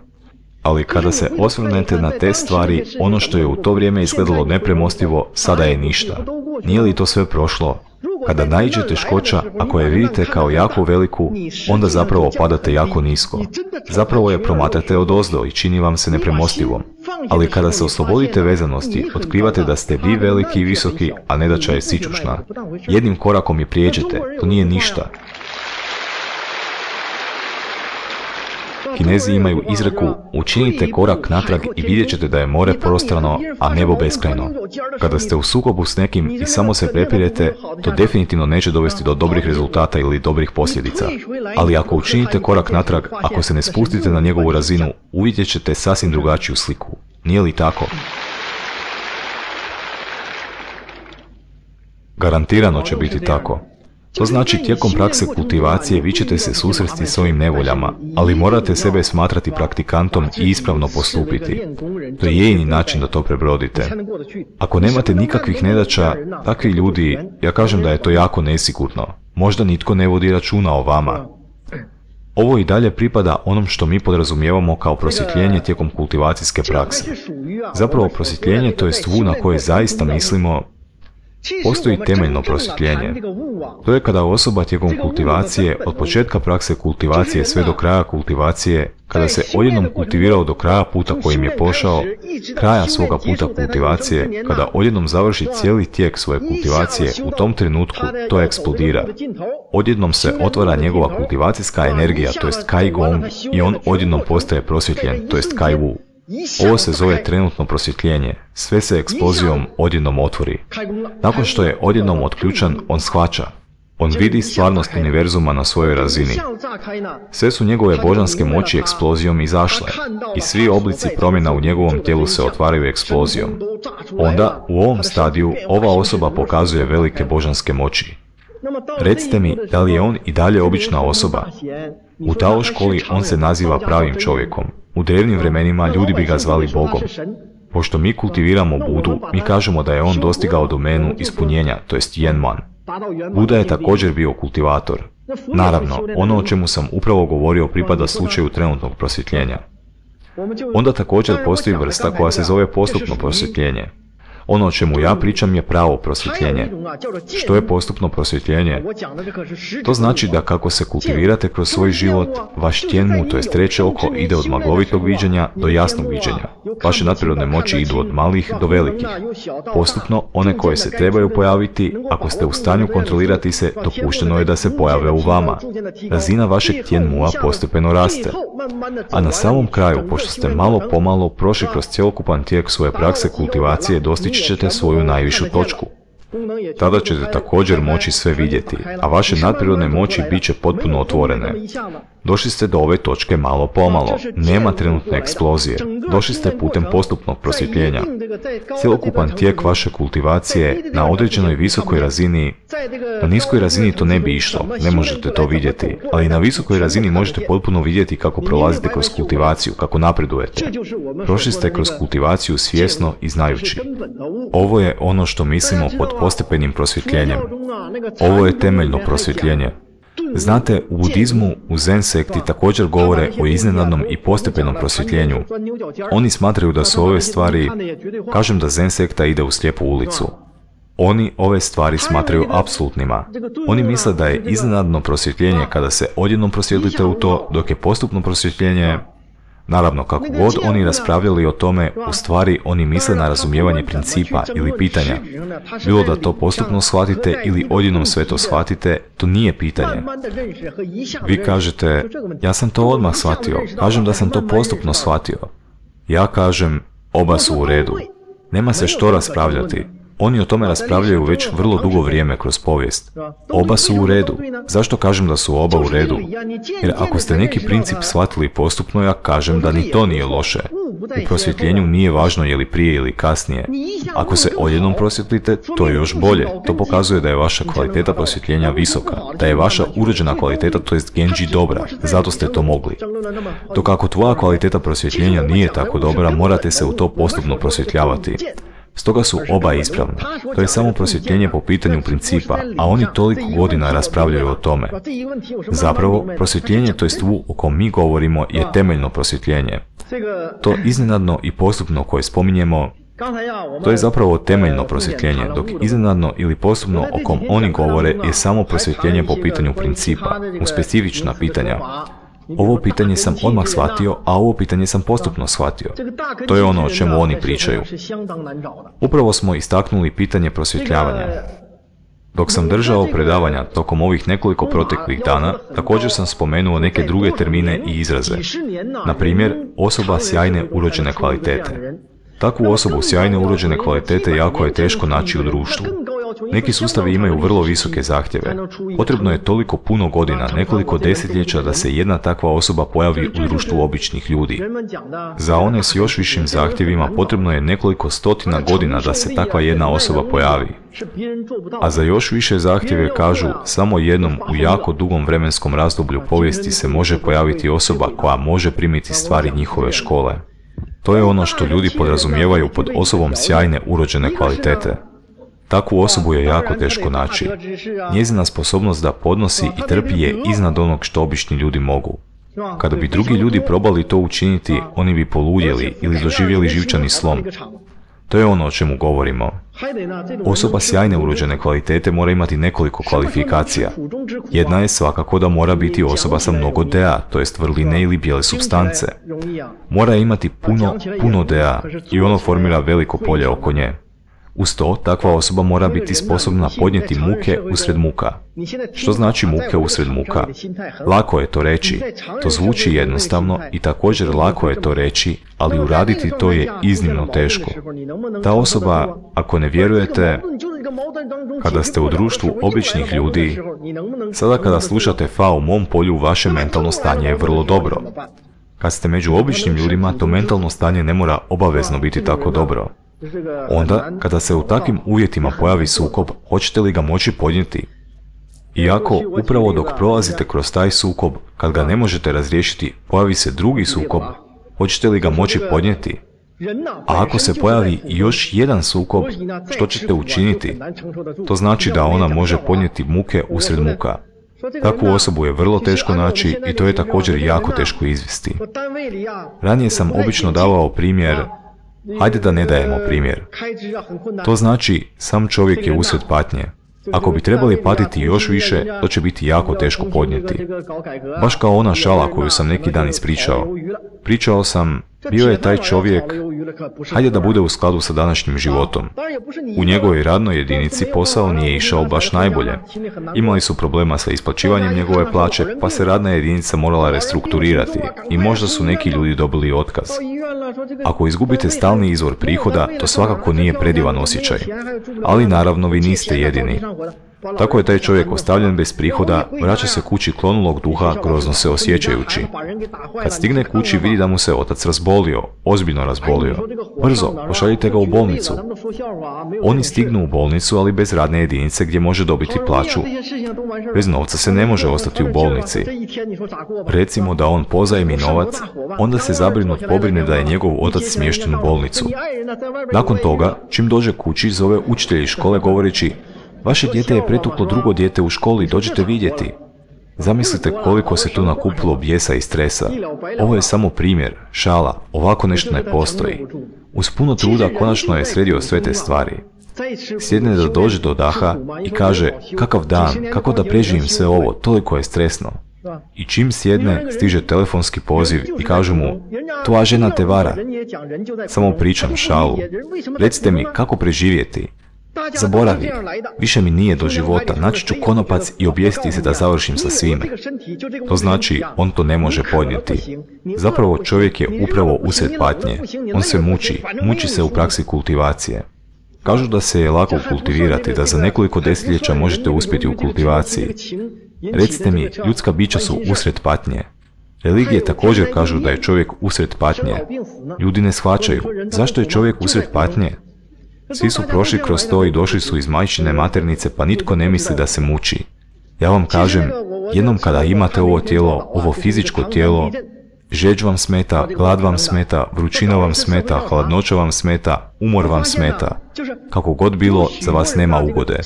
Ali kada se osvrnete na te stvari, ono što je u to vrijeme izgledalo nepremostivo, sada je ništa. Nije li to sve prošlo? Kada naiđe teškoća, ako je vidite kao jako veliku, onda zapravo padate jako nisko. Zapravo je promatrate odozdo i čini vam se nepremostivom. Ali kada se oslobodite vezanosti, otkrivate da ste vi veliki i visoki, a nedaća je sićušna. Jednim korakom je prijeđete, to nije ništa. Kinezi imaju izreku, učinite korak natrag i vidjet ćete da je more prostrano, a nebo beskrajno. Kada ste u sukobu s nekim i samo se prepirete, to definitivno neće dovesti do dobrih rezultata ili dobrih posljedica. Ali ako učinite korak natrag, ako se ne spustite na njegovu razinu, uvidjet ćete sasvim drugačiju sliku. Nije li tako? Garantirano će biti tako. To znači tijekom prakse kultivacije vi ćete se susresti s ovim nevoljama, ali morate sebe smatrati praktikantom i ispravno postupiti. To je jedini način da to prebrodite. Ako nemate nikakvih nedaća, takvi ljudi, ja kažem da je to jako nesigurno. Možda nitko ne vodi računa o vama. Ovo i dalje pripada onom što mi podrazumijevamo kao prosvjetljenje tijekom kultivacijske prakse. Zapravo prosvjetljenje to je stvu na koje zaista mislimo. Postoji temeljno prosvjetljenje. To je kada osoba tijekom kultivacije, od početka prakse kultivacije sve do kraja kultivacije, kada se odjednom kultivirao do kraja puta kojim je pošao, kraja svoga puta kultivacije, kada odjednom završi cijeli tijek svoje kultivacije, u tom trenutku to eksplodira. Odjednom se otvara njegova kultivacijska energija, to jest Kai Gong, i on odjednom postaje prosvjetljen, to jest Kai Wu. Ovo se zove trenutno prosvjetljenje. Sve se eksplozijom odjednom otvori. Nakon što je odjednom otključan, on shvaća. On vidi stvarnost univerzuma na svojoj razini. Sve su njegove božanske moći eksplozijom izašle i svi oblici promjena u njegovom tijelu se otvaraju eksplozijom. Onda, u ovom stadiju, ova osoba pokazuje velike božanske moći. Recite mi, da li je on i dalje obična osoba? U Tao školi on se naziva pravim čovjekom. U drevnim vremenima ljudi bi ga zvali Bogom. Pošto mi kultiviramo Budu, mi kažemo da je on dostigao domenu ispunjenja, to jest Yenman. Buda je također bio kultivator. Naravno, ono o čemu sam upravo govorio pripada slučaju trenutnog prosvjetljenja. Onda također postoji vrsta koja se zove postupno prosvjetljenje. Ono o čemu ja pričam je pravo prosvjetljenje. Što je postupno prosvjetljenje? To znači da kako se kultivirate kroz svoj život, vaš tjenmu, to jest treće oko, ide od maglovitog viđenja do jasnog viđenja. Vaše nadprirodne moći idu od malih do velikih. Postupno, one koje se trebaju pojaviti, ako ste u stanju kontrolirati se, dopušteno je da se pojave u vama. Razina vašeg tjenmua postepeno raste. A na samom kraju, pošto ste malo pomalo prošli kroz cjelokupan tijek svoje prakse kultivacije, dostići ćete svoju najvišu točku. Tada ćete također moći sve vidjeti, a vaše nadprirodne moći bit će potpuno otvorene. Došli ste do ove točke malo pomalo, nema trenutne eksplozije, došli ste putem postupnog prosvjetljenja. Cjelokupan tijek vaše kultivacije na određenoj visokoj razini, na niskoj razini to ne bi išlo, ne možete to vidjeti, ali na visokoj razini možete potpuno vidjeti kako prolazite kroz kultivaciju, kako napredujete. Prošli ste kroz kultivaciju svjesno i znajući. Ovo je ono što mislimo pod postepenim prosvjetljenjem. Ovo je temeljno prosvjetljenje. Znate, u budizmu, u Zen sekti također govore o iznenadnom i postepenom prosvjetljenju. Oni smatraju da su ove stvari, kažem da Zen sekta ide u slijepu ulicu. Oni ove stvari smatraju apsolutnima. Oni misle da je iznenadno prosvjetljenje kada se odjednom prosvjetlite u to, dok je postupno prosvjetljenje, naravno kako god oni raspravljali o tome, u stvari oni misle na razumijevanje principa ili pitanja. Bilo da to postupno shvatite ili odjednom sve to shvatite, to nije pitanje. Vi kažete, ja sam to odmah shvatio, kažem da sam to postupno shvatio. Ja kažem, oba su u redu. Nema se što raspravljati. Oni o tome raspravljaju već vrlo dugo vrijeme kroz povijest. Oba su u redu. Zašto kažem da su oba u redu? Jer ako ste neki princip shvatili postupno, ja kažem da ni to nije loše. U prosvjetljenju nije važno je li prije ili kasnije. Ako se odjednom prosvjetlite, to je još bolje. To pokazuje da je vaša kvaliteta prosvjetljenja visoka, da je vaša urođena kvaliteta, to jest genji, dobra. Zato ste to mogli. Dok ako tvoja kvaliteta prosvjetljenja nije tako dobra, morate se u to postupno prosvjetljavati. Stoga su oba ispravne. To je samo prosvjetljenje po pitanju principa, a oni toliko godina raspravljaju o tome. Zapravo, prosvjetljenje, to jest o kom mi govorimo, je temeljno prosvjetljenje. To iznenadno i postupno koje spominjemo, to je zapravo temeljno prosvjetljenje, dok iznenadno ili postupno o kom oni govore je samo prosvjetljenje po pitanju principa, u specifična pitanja. Ovo pitanje sam odmah shvatio, a ovo pitanje sam postupno shvatio. To je ono o čemu oni pričaju. Upravo smo istaknuli pitanje prosvjetljavanja. Dok sam držao predavanja tokom ovih nekoliko proteklih dana, također sam spomenuo neke druge termine i izraze. Na primjer, osoba sjajne urođene kvalitete. Takvu osobu sjajne urođene kvalitete jako je teško naći u društvu. Neki sustavi imaju vrlo visoke zahtjeve. Potrebno je toliko puno godina, nekoliko desetljeća da se jedna takva osoba pojavi u društvu običnih ljudi. Za one s još višim zahtjevima potrebno je nekoliko stotina godina da se takva jedna osoba pojavi. A za još više zahtjeve kažu, samo jednom u jako dugom vremenskom razdoblju povijesti se može pojaviti osoba koja može primiti stvari njihove škole. To je ono što ljudi podrazumijevaju pod osobom sjajne urođene kvalitete. Takvu osobu je jako teško naći. Njezina sposobnost da podnosi i trpi je iznad onog što obični ljudi mogu. Kada bi drugi ljudi probali to učiniti, oni bi poludjeli ili doživjeli živčani slom. To je ono o čemu govorimo. Osoba sjajne urođene kvalitete mora imati nekoliko kvalifikacija. Jedna je svakako da mora biti osoba sa mnogo dea, to jest vrline ili bijele supstance. Mora imati puno dea i ono formira veliko polje oko nje. Uz to, takva osoba mora biti sposobna podnijeti muke usred muka. Što znači muke usred muka? Lako je to reći. To zvuči jednostavno i također lako je to reći, ali uraditi to je iznimno teško. Ta osoba, ako ne vjerujete, kada ste u društvu običnih ljudi, sada kada slušate Fa u mom polju, vaše mentalno stanje je vrlo dobro. Kad ste među običnim ljudima, to mentalno stanje ne mora obavezno biti tako dobro. Onda, kada se u takvim uvjetima pojavi sukob, hoćete li ga moći podnijeti? Iako, upravo dok prolazite kroz taj sukob, kad ga ne možete razriješiti, pojavi se drugi sukob, hoćete li ga moći podnijeti? A ako se pojavi još jedan sukob, što ćete učiniti? To znači da ona može podnijeti muke usred muka. Takvu osobu je vrlo teško naći i to je također jako teško izvesti. Ranije sam obično davao primjer, Hajde da ne dajemo primjer. To znači, sam čovjek je usred patnje. Ako bi trebali patiti još više, to će biti jako teško podnijeti. Baš kao ona šala koju sam neki dan ispričao. Pričao sam, bio je taj čovjek, hajde da bude u skladu sa današnjim životom. U njegovoj radnoj jedinici posao nije išao baš najbolje. Imali su problema sa isplaćivanjem njegove plaće, pa se radna jedinica morala restrukturirati i možda su neki ljudi dobili otkaz. Ako izgubite stalni izvor prihoda, to svakako nije predivan osjećaj. Ali naravno vi niste jedini. Tako je taj čovjek ostavljen bez prihoda, vraća se kući klonulog duha, grozno se osjećajući. Kad stigne kući vidi da mu se otac razbolio, ozbiljno razbolio. Brzo, pošaljite ga u bolnicu. Oni stignu u bolnicu, ali bez radne jedinice gdje može dobiti plaću. Bez novca se ne može ostati u bolnici. Recimo da on pozajmi novac, onda se zabrinut pobrine da je njegov otac smješten u bolnicu. Nakon toga, čim dođe kući, zove učitelja iz škole govoreći: vaše dijete je pretuklo drugo dijete u školi, dođite vidjeti. Zamislite koliko se tu nakupilo bijesa i stresa. Ovo je samo primjer, šala, ovako nešto ne postoji. Uz puno truda konačno je sredio sve te stvari. Sjedne da dođe do daha i kaže: kakav dan, kako da preživim sve ovo, toliko je stresno. I čim sjedne, stiže telefonski poziv i kažu mu: tvoja žena te vara. Samo pričam šalu. Recite mi, kako preživjeti? Zaboravi, više mi nije do života, naći ću konopac i objesiti se da završim sa svime. To znači, on to ne može podnijeti. Zapravo čovjek je upravo usred patnje. On se muči se u praksi kultivacije. Kažu da se je lako kultivirati, da za nekoliko desetljeća možete uspjeti u kultivaciji. Recite mi, ljudska bića su usred patnje. Religije također kažu da je čovjek usred patnje. Ljudi ne shvaćaju, zašto je čovjek usred patnje? Svi su prošli kroz to i došli su iz majčine maternice, pa nitko ne misli da se muči. Ja vam kažem, jednom kada imate ovo tijelo, ovo fizičko tijelo, žeđ vam smeta, glad vam smeta, vrućina vam smeta, hladnoća vam smeta, umor vam smeta. Kako god bilo, za vas nema ugode.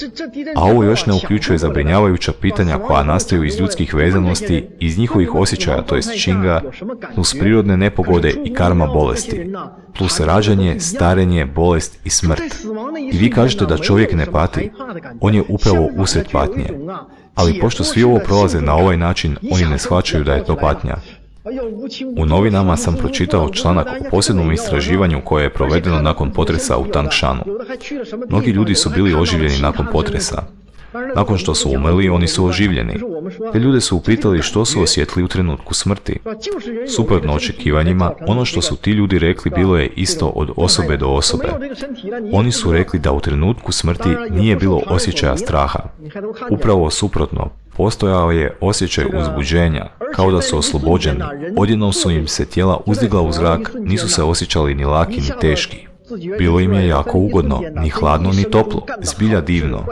A ovo još ne uključuje zabrinjavajuća pitanja koja nastaju iz ljudskih vezanosti, iz njihovih osjećaja, to jest činga, plus prirodne nepogode i karma bolesti, plus rađanje, starenje, bolest i smrt. I vi kažete da čovjek ne pati, on je upravo usred patnje. Ali pošto svi ovo prolaze na ovaj način, oni ne shvaćaju da je to patnja. U novinama sam pročitao članak o posebnom istraživanju koje je provedeno nakon potresa u Tangshanu. Mnogi ljudi su bili oživljeni nakon potresa. Nakon što su umrli, oni su oživljeni. Te ljude su upitali što su osjetili u trenutku smrti. Suprotno očekivanjima, ono što su ti ljudi rekli bilo je isto od osobe do osobe. Oni su rekli da u trenutku smrti nije bilo osjećaja straha. Upravo suprotno, postojao je osjećaj uzbuđenja, kao da su oslobođeni. Odjednom su im se tijela uzdigla u zrak, nisu se osjećali ni laki ni teški. Bilo im je jako ugodno, ni hladno ni toplo, zbilja divno.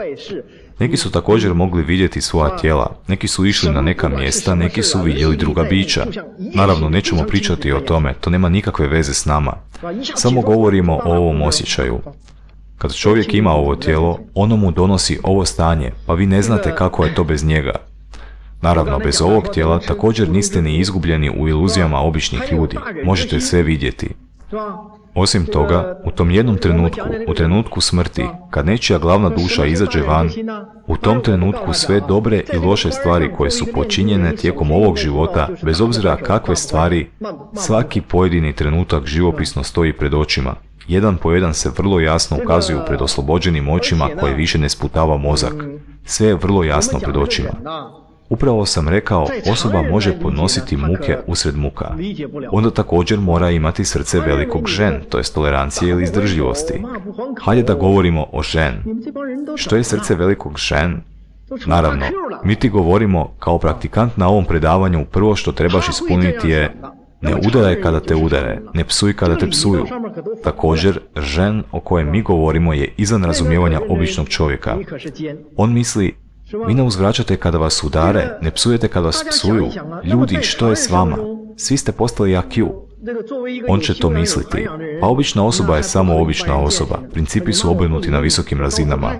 Neki su također mogli vidjeti svoja tijela, neki su išli na neka mjesta, neki su vidjeli druga bića. Naravno, nećemo pričati o tome, to nema nikakve veze s nama. Samo govorimo o ovom osjećaju. Kad čovjek ima ovo tijelo, ono mu donosi ovo stanje, pa vi ne znate kako je to bez njega. Naravno, bez ovog tijela također niste ni izgubljeni u iluzijama običnih ljudi, možete sve vidjeti. Osim toga, u tom jednom trenutku, u trenutku smrti, kad nečija glavna duša izađe van, u tom trenutku sve dobre i loše stvari koje su počinjene tijekom ovog života, bez obzira kakve stvari, svaki pojedini trenutak živopisno stoji pred očima. Jedan po jedan se vrlo jasno ukazuju pred oslobođenim očima koje više ne sputava mozak. Sve je vrlo jasno pred očima. Upravo sam rekao, osoba može podnositi muke usred muka. Onda također mora imati srce velikog žen, to je tolerancije ili izdržljivosti. Hajde da govorimo o žen. Što je srce velikog žen? Naravno, mi ti govorimo kao praktikant na ovom predavanju, prvo što trebaš ispuniti je: ne udaraj kada te udare, ne psuj kada te psuju. Također, žen o kojem mi govorimo je izvan razumijevanja običnog čovjeka. On misli: vi ne uzvraćate kada vas udare, ne psujete kada vas psuju. Ljudi, što je s vama? Svi ste postali IQ. On će to misliti. Pa obična osoba je samo obična osoba. Principi su obrnuti na visokim razinama.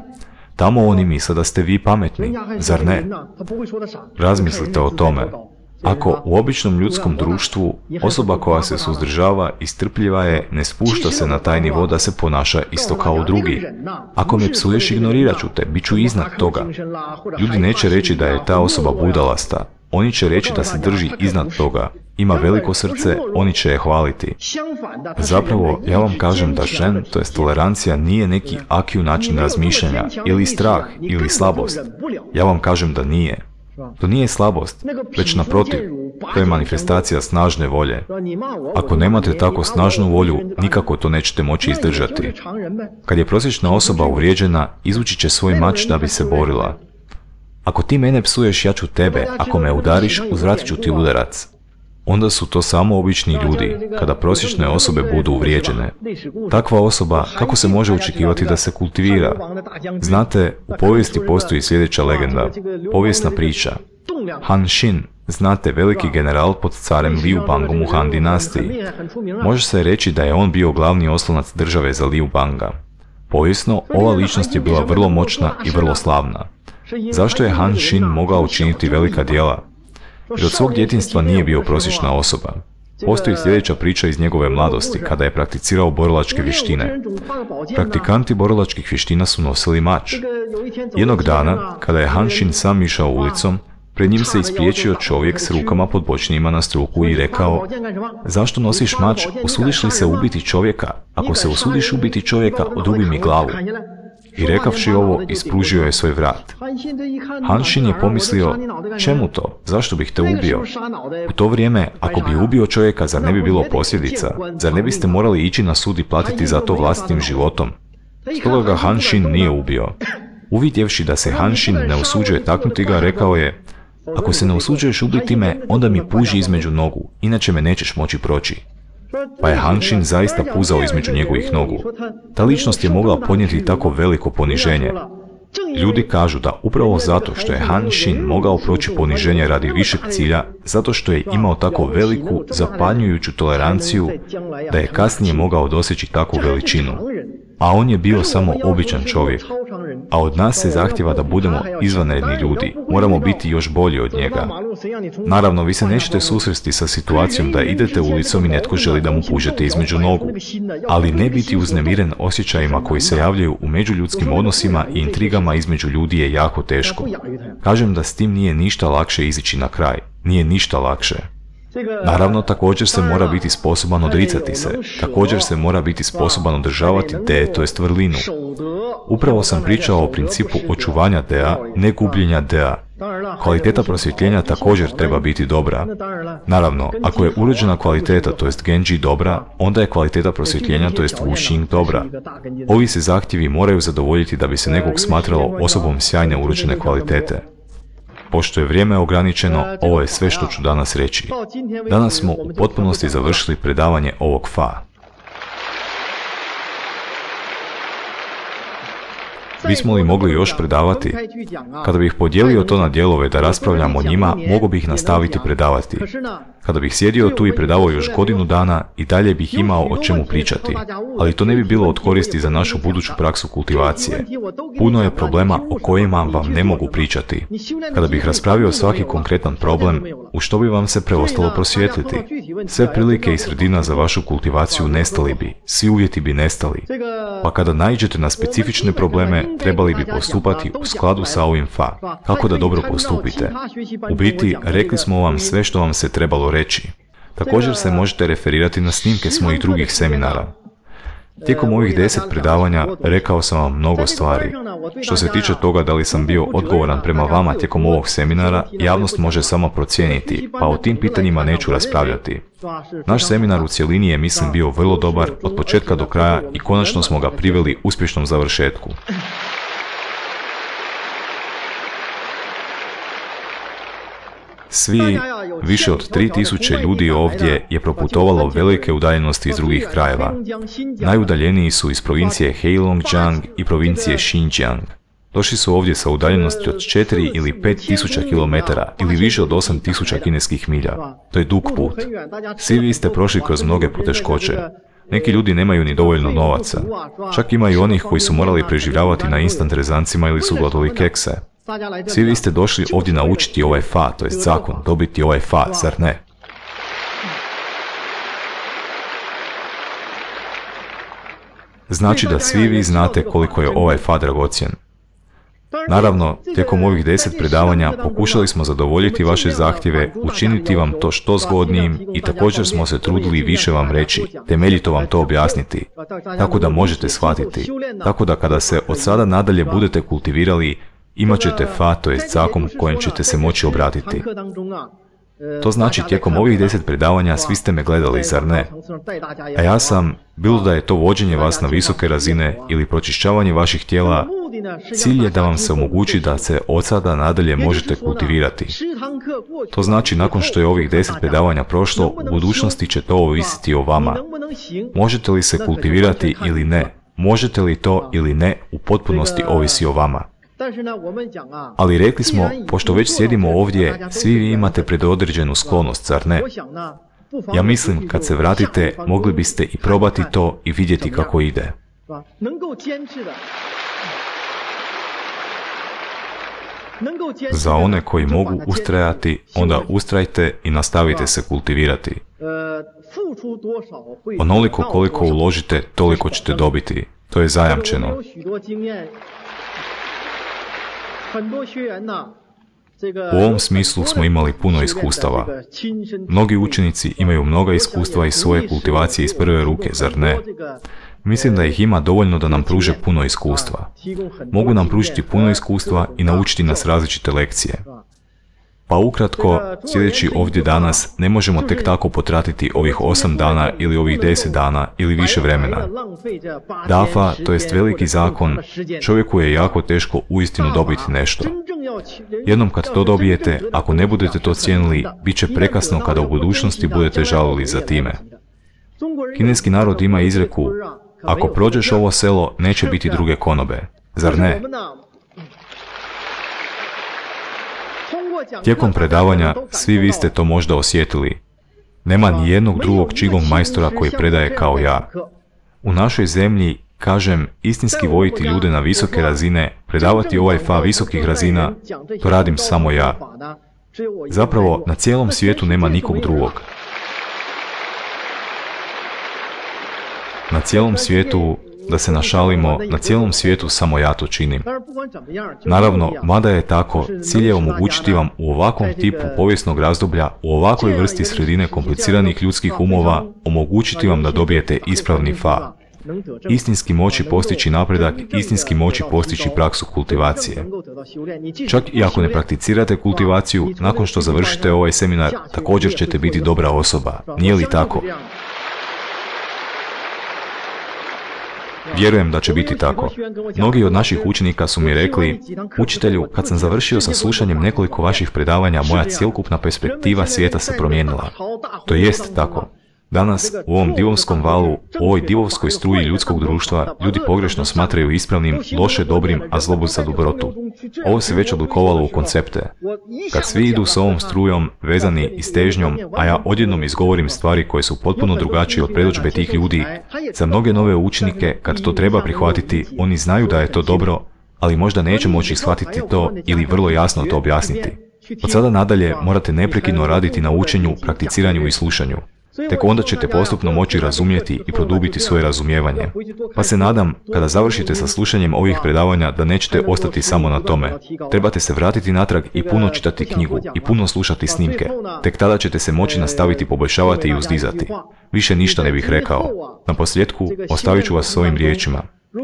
Tamo oni misle da ste vi pametni, zar ne? Razmislite o tome. Ako u običnom ljudskom društvu osoba koja se suzdržava i strpljiva je, ne spušta se na taj nivo da se ponaša isto kao drugi. Ako me psuješ, ignorirat ću te, bit ću iznad toga. Ljudi neće reći da je ta osoba budalasta. Oni će reći da se drži iznad toga. Ima veliko srce, oni će je hvaliti. Zapravo, ja vam kažem da zen, to jest tolerancija, nije neki akiju način razmišljanja, ili strah, ili slabost. Ja vam kažem da nije. To nije slabost, već naprotiv, to je manifestacija snažne volje. Ako nemate tako snažnu volju, nikako to nećete moći izdržati. Kad je prosječna osoba uvrijeđena, izvući će svoj mač da bi se borila. Ako ti mene psuješ, ja ću tebe, ako me udariš, uzvratit ću ti udarac. Onda su to samo obični ljudi, kada prosječne osobe budu uvrijeđene. Takva osoba, kako se može očekivati da se kultivira? Znate, u povijesti postoji sljedeća legenda, povijesna priča. Han Xin, znate, veliki general pod carem Liu Bangom u Han dinastiji. Može se reći da je on bio glavni oslonac države za Liu Banga. Povijesno, ova ličnost je bila vrlo moćna i vrlo slavna. Zašto je Han Xin mogao učiniti velika djela? Jer od svog djetinjstva nije bio prosječna osoba. Postoji sljedeća priča iz njegove mladosti, kada je prakticirao borilačke vještine. Praktikanti borilačkih vještina su nosili mač. Jednog dana, kada je Han Xin sam išao ulicom, pred njim se ispriječio čovjek s rukama pod bočnijima na struku i rekao: zašto nosiš mač, usudiš li se ubiti čovjeka? Ako se usudiš ubiti čovjeka, odrubi mi glavu. I rekavši ovo, ispružio je svoj vrat. Han Xin je pomislio: čemu to? Zašto bih te ubio? U to vrijeme, ako bi ubio čovjeka, zar ne bi bilo posljedica? Zar ne biste morali ići na sud i platiti za to vlastitim životom? Stoga ga Han Xin nije ubio. Uvidjevši da se Han Xin ne usuđuje taknuti ga, rekao je: ako se ne usuđuješ ubiti me, onda mi puži između nogu, inače me nećeš moći proći. Pa je Han Xin zaista puzao između njegovih nogu. Ta ličnost je mogla podnijeti tako veliko poniženje. Ljudi kažu da upravo zato što je Han Xin mogao proći poniženje radi višeg cilja, zato što je imao tako veliku, zapanjujuću toleranciju, da je kasnije mogao doseći takvu veličinu. A on je bio samo običan čovjek. A od nas se zahtjeva da budemo izvanredni ljudi, moramo biti još bolji od njega. Naravno, vi se nećete susresti sa situacijom da idete ulicom i netko želi da mu pužete između nogu, ali ne biti uznemiren osjećajima koji se javljaju u međuljudskim odnosima i intrigama između ljudi je jako teško. Kažem da s tim nije ništa lakše izići na kraj, nije ništa lakše. Naravno, također se mora biti sposoban odricati se, također se mora biti sposoban održavati de, to jest vrlinu. Upravo sam pričao o principu očuvanja dea, ne gubljenja dea. Kvaliteta prosvjetljenja također treba biti dobra. Naravno, ako je urođena kvaliteta, to jest genji, dobra, onda je kvaliteta prosvjetljenja, to jest wuxing, dobra. Ovi se zahtjevi moraju zadovoljiti da bi se nekog smatralo osobom sjajne urođene kvalitete. Pošto je vrijeme ograničeno, ovo je sve što ću danas reći. Danas smo u potpunosti završili predavanje ovog fa. Bismo li mogli još predavati? Kada bih podijelio to na dijelove da raspravljam o njima, mogao bih nastaviti predavati. Kada bih sjedio tu i predavao još godinu dana, i dalje bih imao o čemu pričati. Ali to ne bi bilo od koristi za našu buduću praksu kultivacije. Puno je problema o kojima vam ne mogu pričati. Kada bih raspravio svaki konkretan problem, u što bi vam se preostalo prosvijetliti? Sve prilike i sredina za vašu kultivaciju nestali bi, svi uvjeti bi nestali. Pa kada naiđete na specifične probleme, trebali bi postupati u skladu sa ovim fa. Kako da dobro postupite? U biti, rekli smo vam sve što vam se trebalo reći. Također se možete referirati na snimke s mojih drugih seminara. Tijekom ovih 10 predavanja rekao sam vam mnogo stvari. Što se tiče toga da li sam bio odgovoran prema vama tijekom ovog seminara, javnost može samo procijeniti, pa o tim pitanjima neću raspravljati. Naš seminar u cjelini je, mislim, bio vrlo dobar od početka do kraja i konačno smo ga priveli uspješnom završetku. Svi, više od 3000 ljudi ovdje je proputovalo velike udaljenosti iz drugih krajeva. Najudaljeniji su iz provincije Heilongjiang i provincije Xinjiang. Došli su ovdje sa udaljenosti od 4 ili 5000 km ili više od 8000 kineskih milja. To je dug put. Svi vi ste prošli kroz mnoge poteškoće. Neki ljudi nemaju ni dovoljno novaca. Čak ima i onih koji su morali preživljavati na instant rezancima ili su gladili kekse. Svi vi ste došli ovdje naučiti ovaj fa, to jest zakon, dobiti ovaj fa, zar ne? Znači da svi vi znate koliko je ovaj fa dragocjen. Naravno, tijekom ovih 10 predavanja pokušali smo zadovoljiti vaše zahtjeve, učiniti vam to što zgodnijim i također smo se trudili više vam reći, temeljito vam to objasniti, tako da možete shvatiti. Tako da kada se od sada nadalje budete kultivirali, imat ćete fa, to jest zakon kojem ćete se moći obratiti. To znači tijekom ovih 10 predavanja svi ste me gledali, zar ne? A ja sam, bilo da je to vođenje vas na visoke razine ili pročišćavanje vaših tijela, cilj je da vam se omogući da se od sada nadalje možete kultivirati. To znači nakon što je ovih 10 predavanja prošlo, u budućnosti će to ovisiti o vama. Možete li se kultivirati ili ne? Možete li to ili ne, u potpunosti ovisi o vama. Ali rekli smo, pošto već sjedimo ovdje, svi vi imate predodređenu sklonost, zar ne? Ja mislim, kad se vratite, mogli biste i probati to i vidjeti kako ide. Za one koji mogu ustrajati, onda ustrajte i nastavite se kultivirati. Onoliko koliko uložite, toliko ćete dobiti. To je zajamčeno. U ovom smislu smo imali puno iskustava. Mnogi učenici imaju mnoga iskustva iz svoje kultivacije iz prve ruke, zar ne? Mislim da ih ima dovoljno da nam pruže puno iskustva. Mogu nam pružiti puno iskustva i naučiti nas različite lekcije. Pa ukratko, sjedeći ovdje danas, ne možemo tek tako potratiti ovih 8 dana ili ovih 10 dana ili više vremena. Dafa, to jest veliki zakon, čovjeku je jako teško uistinu dobiti nešto. Jednom kad to dobijete, ako ne budete to cijenili, bit će prekasno kada u budućnosti budete žalili za time. Kineski narod ima izreku, ako prođeš ovo selo, neće biti druge konobe. Zar ne? Tijekom predavanja svi vi ste to možda osjetili. Nema ni jednog drugog Qigong majstora koji predaje kao ja. U našoj zemlji, kažem, istinski voditi ljude na visoke razine, predavati ovaj fa visokih razina, to radim samo ja. Zapravo, na cijelom svijetu nema nikog drugog. Na cijelom svijetu, da se našalimo, na cijelom svijetu samo ja to činim. Naravno, mada je tako, cilj je omogućiti vam u ovakvom tipu povijesnog razdoblja, u ovakvoj vrsti sredine kompliciranih ljudskih umova, omogućiti vam da dobijete ispravni fa. Istinski moći postići napredak, istinski moći postići praksu kultivacije. Čak i ako ne prakticirate kultivaciju, nakon što završite ovaj seminar, također ćete biti dobra osoba. Nije li tako? Vjerujem da će biti tako. Mnogi od naših učenika su mi rekli, učitelju, kad sam završio sa slušanjem nekoliko vaših predavanja, moja cjelokupna perspektiva svijeta se promijenila. To jest tako. Danas, u ovom divovskom valu, u ovoj divovskoj struji ljudskog društva, ljudi pogrešno smatraju ispravnim, loše dobrim, a zlobu za dobrotu. Ovo se već oblikovalo u koncepte. Kad svi idu s ovom strujom, vezani i s težnjom, a ja odjednom izgovorim stvari koje su potpuno drugačije od predodžbe tih ljudi, za mnoge nove učenike, kad to treba prihvatiti, oni znaju da je to dobro, ali možda neće moći shvatiti to ili vrlo jasno to objasniti. Od sada nadalje morate neprekidno raditi na učenju, prakticiranju i slušanju. Tek onda ćete postupno moći razumjeti i produbiti svoje razumijevanje. Pa se nadam, kada završite sa slušanjem ovih predavanja, da nećete ostati samo na tome. Trebate se vratiti natrag i puno čitati knjigu i puno slušati snimke. Tek tada ćete se moći nastaviti poboljšavati i uzdizati. Više ništa ne bih rekao. Na posljedku, ostavit ću vas s ovim riječima.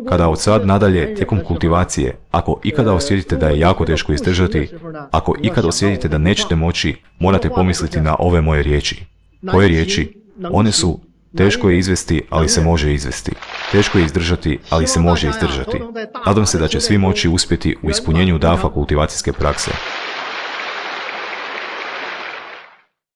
Kada od sad nadalje, tijekom kultivacije, ako ikada osjetite da je jako teško izdržati, ako ikada osjetite da nećete moći, morate pomisliti na ove moje riječi. Koje riječi? One su, teško je izvesti, ali se može izvesti. Teško je izdržati, ali se može izdržati. Nadam se da će svi moći uspjeti u ispunjenju dafa kultivacijske prakse.